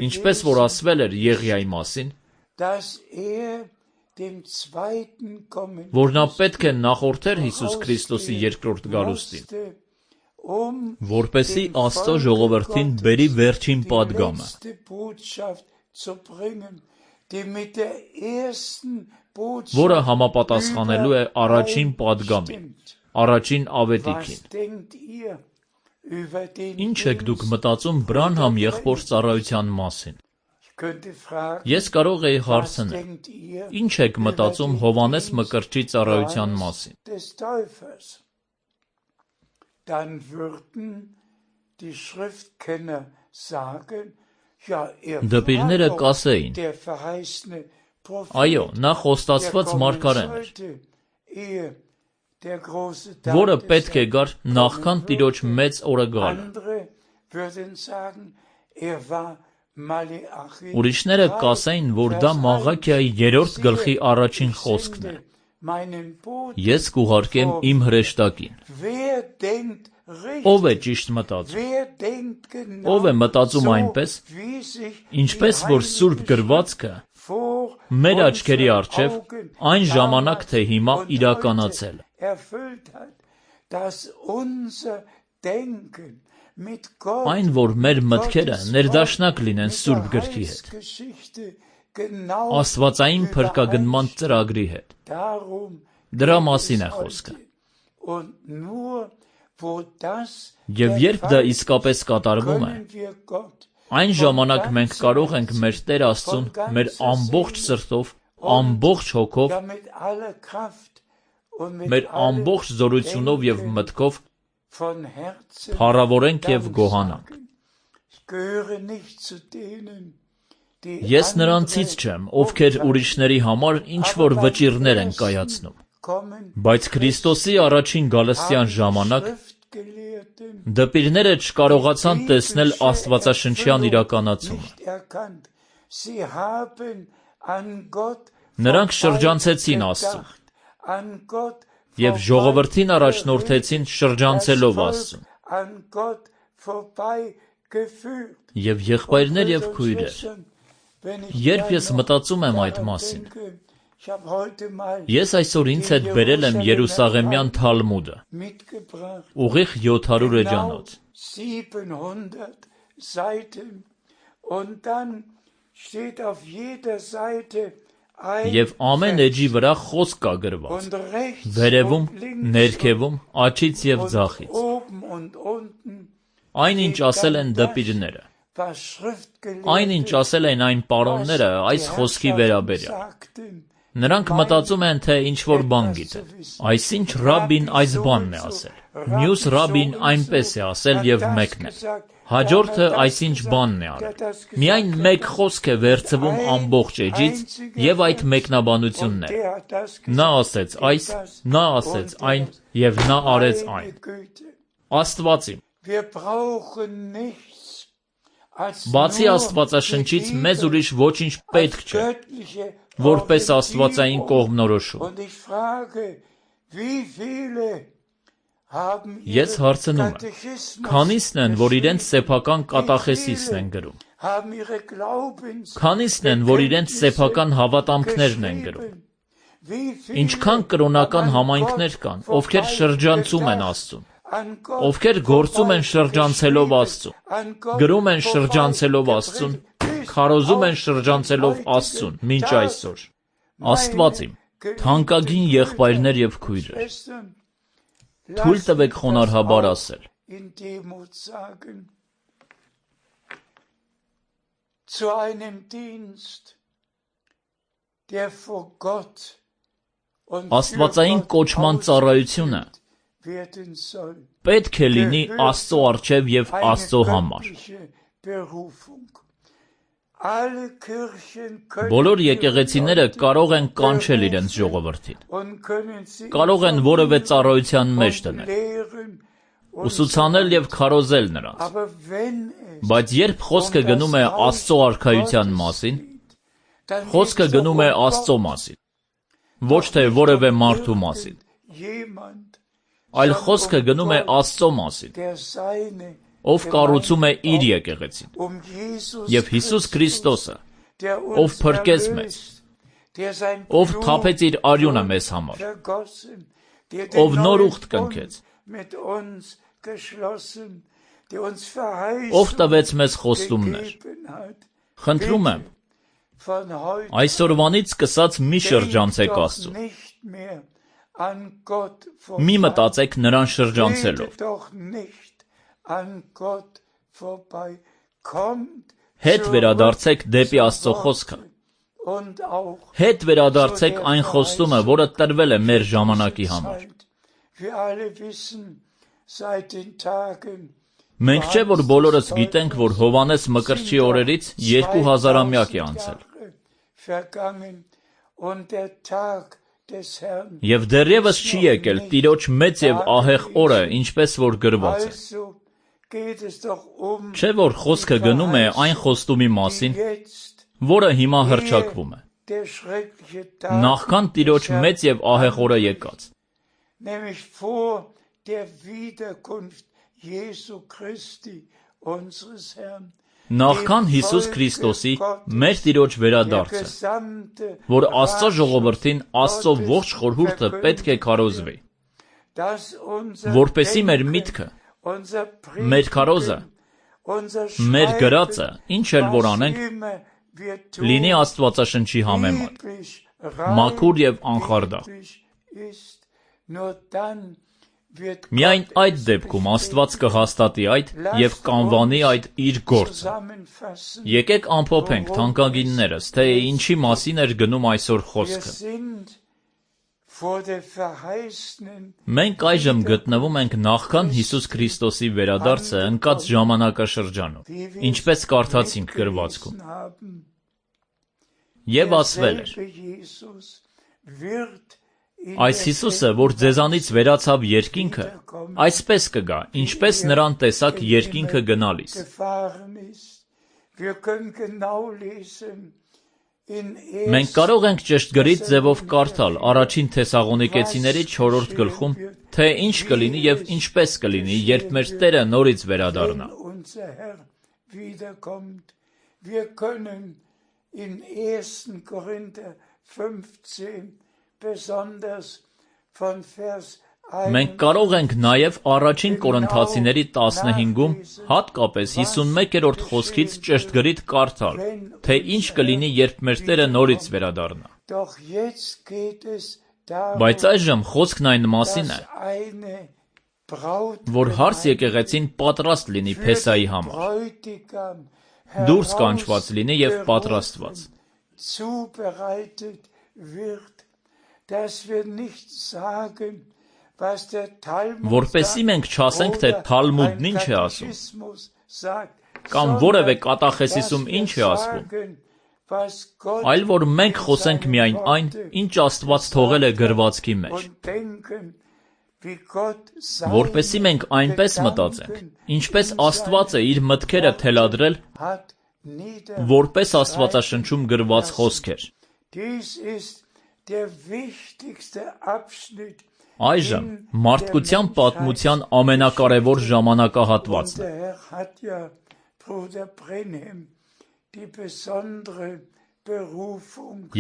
ինչպես որ ասվել էր Եղիայի մասին, որ նա պետք է նախորդեր Հիսուս Քրիստոսի երկրորդ գալուստին, որպեսզի Աստծո ժողովրդին բերի վերջին պատգամը, որը համապատասխանելու է առաջին պատգամին, առաջին ավետիքին։ Ինչ եք դուք մտածում Բրանհամ եղբոր ծառայության մասին։ Ես կարող էի հարցնել. Ինչ եք մտածում Հովհաննես Մկրտչի ծառայության մասին։ Դպիրները կասեին. այո, նա խոստացված մարգարեն էր, որը պետք է գար նախքան Տիրոջ մեծ օրը գալը։ Ուրիշները կասեին, որ դա Մաղաքիայի երրորդ գլխի առաջին խոսքն է. Ես կուղարկեմ իմ հրեշտակին։ Ո՞վ է ճիշտ մտածում։ Ո՞վ է մտածում այնպես, ինչպես որ Սուրբ գրվածքը մեր աչքերի առջև այն ժամանակ թե հիմա իրականացել է։ Այն, որ մեր մտքերը ներդաշնակ լինեն Սուրբ գրքի հետ, աստվածային փրկագնման ծրագրի հետ։ Դրա մասին է խոսքը։ Եվ երբ դա իսկապես կատարվում է, այն ժամանակ մենք կարող ենք մեր Տեր Աստծուն մեր ամբողջ սրտով, ամբողջ հոգով, մեր ամբողջ զորությունով և մտքով փառավորենք և գոհանանք։ Ես նրանցից չեմ, ովքեր ուրիշների համար ինչ-որ վճիռներ են կայացնում, բայց Քրիստոսի առաջին գալստյան ժամանակ դպիրները չկարողացան տեսնել աստվածաշնչյան իրականացումը։ Նրանք շրջանցեցին Աստծուն և ժողովրդին առաջնորդեցին շրջանցելով Աստծուն։ Եվ եղբայրներ և քույրեր, երբ ես մտածում եմ այդ մասին, ես այսօր ինձ հետ բերել եմ Երուսաղեմյան Թալմուդը, ուղիղ յոթ հարյուր էջանոց։ Եվ ամեն էջի վրա խոսք կա գրված, վերևում, ներքևում, աջից և ձախից։ Այն, ինչ ասել են դպիրները, այն, ինչ ասել են այն պարոնները այս խոսքի վերաբերյալ։ Նրանք մտածում են, թե ինչ-որ բան գիտեն։ Այսինչ ռաբբին այս բանն է ասել, մյուս ռաբբին այնպես է ասել և մեկն է։ Հաջորդը այսինչ բանն է արել։ Միայն մեկ խոսք է վերցվում ամբողջ էջից և այդ մեկնաբանությունն է։ Նա ասեց այս, նա ասեց այն և նա արեց այն։ Աստվածի։ Բացի Աստվածաշնչից մեզ ուրիշ ոչինչ պետք չէ, որպես աստվածային կողմնորոշում։ Ես հարցնում եմ, քանիսն են, որ իրենց սեփական կատախեսիսն են գրում։ Քանիսն են, որ իրենց սեփական հավատամքներն են գրում։ Ինչքան կրոնական համայնքներ կան, ովքեր շրջանցում են Աստծուն, ովքեր գործում են շրջանցելով Աստծուն, գրում են շրջանցելով Աստծուն, քարոզում են շրջանցելով Աստծուն, մինչ այսօր։ Աստված իմ, թանկագին եղբայրներ և քույրեր, թույլ տվեք խոնարհաբար ասել. Աստվածային կոչման ծառայությունը պետք է լինի Աստծո առջև և Աստծո համար։ Բոլոր եկեղեցիները կարող են կանչել իրենց ժողովրդին, կարող են որևէ ծառայության մեջ դնել, ուսուցանել և քարոզել նրանց, բայց երբ խոսքը գնում է Աստծո արքայության մասին, խոսքը գնում է Աստծո մասին, ոչ թե որևէ մարդու մասին, այլ խոսքը գնում է Աստծո մասին, ով կառուցում է իր եկեղեցին, և Հիսուս Քրիստոսը, ով փրկեց մեզ, ով թափեց իր արյունը մեզ համար, ով նոր ուխտ կնքեց, ով տվեց մեզ խոստումներ։ Խնդրում եմ, այսօրվանից սկսած մի շրջանցեք Աստծուն, մի մտածեք նրան շրջանցելով, հետ վերադարձեք դեպի Աստծո խոսքը, հետ վերադարձեք այն խոստումը, որը տրվել է մեր ժամանակի համար։ Մենք չէ, որ բոլորս գիտենք, որ Հովհաննես Մկրտչի օրերից երկու հազարամյակ է անցել։ Եվ դեռևս չի եկել Տիրոջ մեծ և ահեղ օրը, ինչպես որ գրված է։ Չէ՞ որ խոսքը գնում է այն խոստումի մասին, որը հիմա հռչակվում է, նախքան Տիրոջ մեծ և ահեղ օրը եկած։ Նախքան Հիսուս Քրիստոսի մեր Տիրոջ վերադարձը, որ Աստծո ժողովրդին Աստծո ողջ խորհուրդը պետք է քարոզվի, որպեսզի մեր միտքը, մեր քարոզը, մեր գրածը, ինչ էլ որ անենք, լինի Աստվածաշնչի համեմատ, մաքուր և անխարդախ։ Միայն այդ դեպքում Աստված կհաստատի այդ և կանվանի այդ իր գործը։ Եկեք ամփոփենք, թանկագիններս, թե ինչի մասին էր գնում այսօր խոսքը։ Մենք այժմ գտնվում ենք նախքան Հիսուս Քրիստոսի վերադարձը ընկած ժամանակաշրջանում, ինչպես կարդացինք գրվածքում։ Եվ ասվել էր. Այս Հիսուսը, որ ձեզանից վերացավ երկինքը, այսպես կգա, ինչպես նրան տեսաք երկինքը գնալիս։ Մենք կարող ենք ճշգրիտ ձևով կարդալ առաջին Թեսաղոնիկեցիների չորրորդ գլխում, թե ինչ կլինի և ինչպես կլինի, երբ մեր Տերը նորից վերադառնա։ Մենք կարող ենք նաև առաջին Կորինթացիների տասնհինգում, հատկապես հիսունմեկերորդ խոսքից ճշգրիտ կարդալ, թե ինչ կլինի, երբ մեր Տերը նորից վերադառնա։ Բայց այժմ խոսքն այն մասին է, որ հարս եկեղեցին պատրաստ լինի Փեսայի համար, դուրս կանչված լինի և պատրաստված։ Որպեսզի մենք չասենք, թե Թալմուդն ինչ է ասում, կամ որևէ կատախեսիսում ինչ է ասվում, այլ որ մենք խոսենք միայն այն, ինչ Աստված թողել է գրվածքի մեջ, որպեսզի մենք այնպես մտածենք, ինչպես Աստված է իր մտքերը թելադրել, որպես Աստվածաշնչում գրված խոսքեր։ Այժմ մարդկության պատմության ամենակարևոր ժամանակահատվածն է։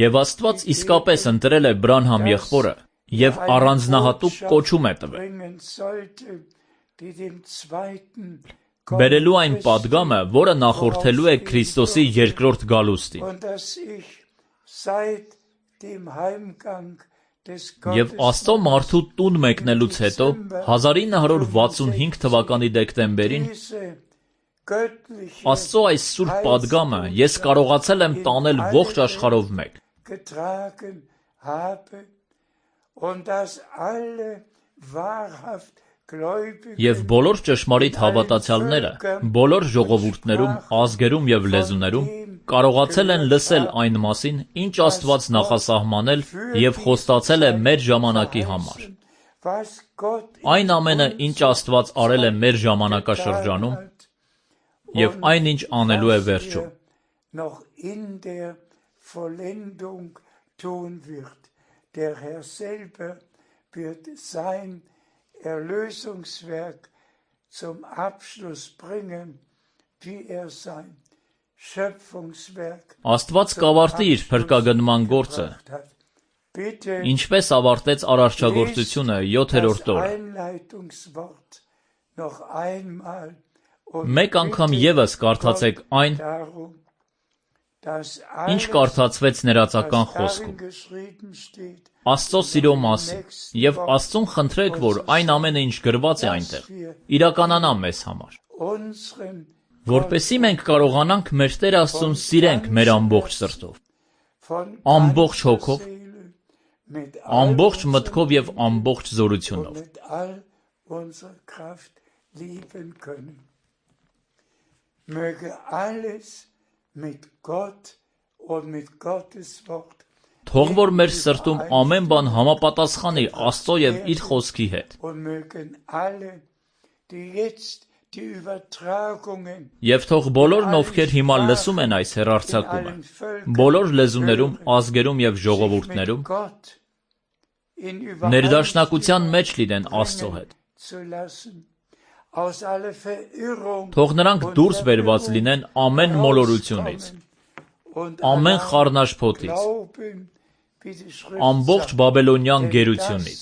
Եվ Աստված իսկապես ընտրել է Բրանհամ եղբորը և առանձնահատուկ կոչում է տվել, բերելու այն պատգամը, որը նախորդելու է Քրիստոսի երկրորդ գալուստին։ Եվ Աստծո մարդու տուն մեկնելուց հետո, հազար ինը հարյուր վաթսունհինգ թվականի դեկտեմբերին, Աստծո այս սուրբ պատգամը ես կարողացել եմ տանել ողջ աշխարհով մեկ։ Եվ բոլոր ճշմարիտ հավատացյալները, բոլոր ժողովուրդներում, ազգերում և լեզուներում կարողացել են լսել այն մասին, ինչ Աստված նախասահմանել և խոստացել է մեր ժամանակի համար։ Այն ամենը, ինչ Աստված արել է մեր ժամանակաշրջանում, և այն, ինչ անելու է վերջում։ Erlösungswerk zum Abschluss bringen, wie er sein Schöpfungswerk Աստված կավարտի իր փրկագնման գործը, ինչպես ավարտեց արարչագործությունը յոթերորդ օրը։ Մեկ անգամ ևս կարդացեք այն, ինչ կարդացվեց ներածական խոսքում։ Աստծո սիրո մասին, և Աստծուն խնդրեք, որ այն ամենը, ինչ գրված է այնտեղ, իրականանա մեզ համար, որպեսզի մենք կարողանանք մեր Տեր Աստծուն սիրենք մեր ամբողջ սրտով, ամբողջ հոգով, ամբողջ մտքով և ամբողջ զորությունով։ Թող որ մեր սրտում ամեն բան համապատասխանի Աստծո և իր խոսքի հետ։ Եվ թող բոլորն, ովքեր հիմա լսում են այս հեռարձակումը, բոլոր լեզուներում, ազգերում և ժողովուրդներում, ներդաշնակության մեջ լինեն Աստծո հետ։ Թող նրանք դուրս բերված լինեն ամեն մոլորությունից, ամեն խառնաշփոթից, ամբողջ բաբելոնյան գերությունից։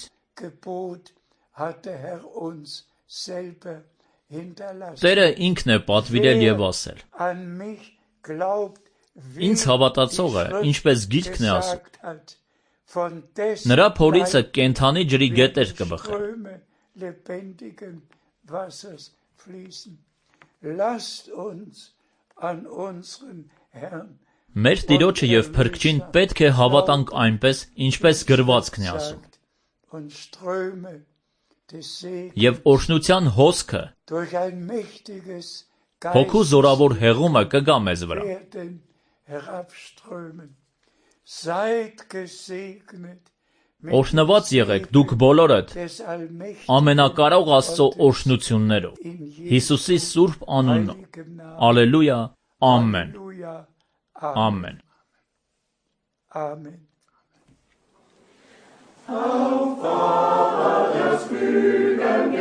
Տերը ինքն է պատվիրել և ասել. Ինձ հավատացողը, ինչպես գիրքն է ասում, von dessen Նրա փորիցը Leib կենթանի ջրի գետեր werden կբխեն։ Ströme lebendigen Wassers fließen. Lasst uns an unseren Herrn Մեր Տիրոջը եւ Փրկչին պետք է հավատանք այնպես, ինչպես գրվածքն է ասում։ und Ströme des Segens Եվ օրհնության հոսքը, durch ein mächtiges հոգու զորավոր հեղումը կգա մեզ վրա։ werden herabströmen. Seid gesegnet mit Օրհնված եղեք դուք բոլորդ des allmächtigen ամենակարող Աստծո օրհնություններով։ Հիսուսի սուրբ անունով։ heiligen Namen. Ալելույա, ամեն, Halleluja. ամեն։ Amen. Auf Vater, das Fügen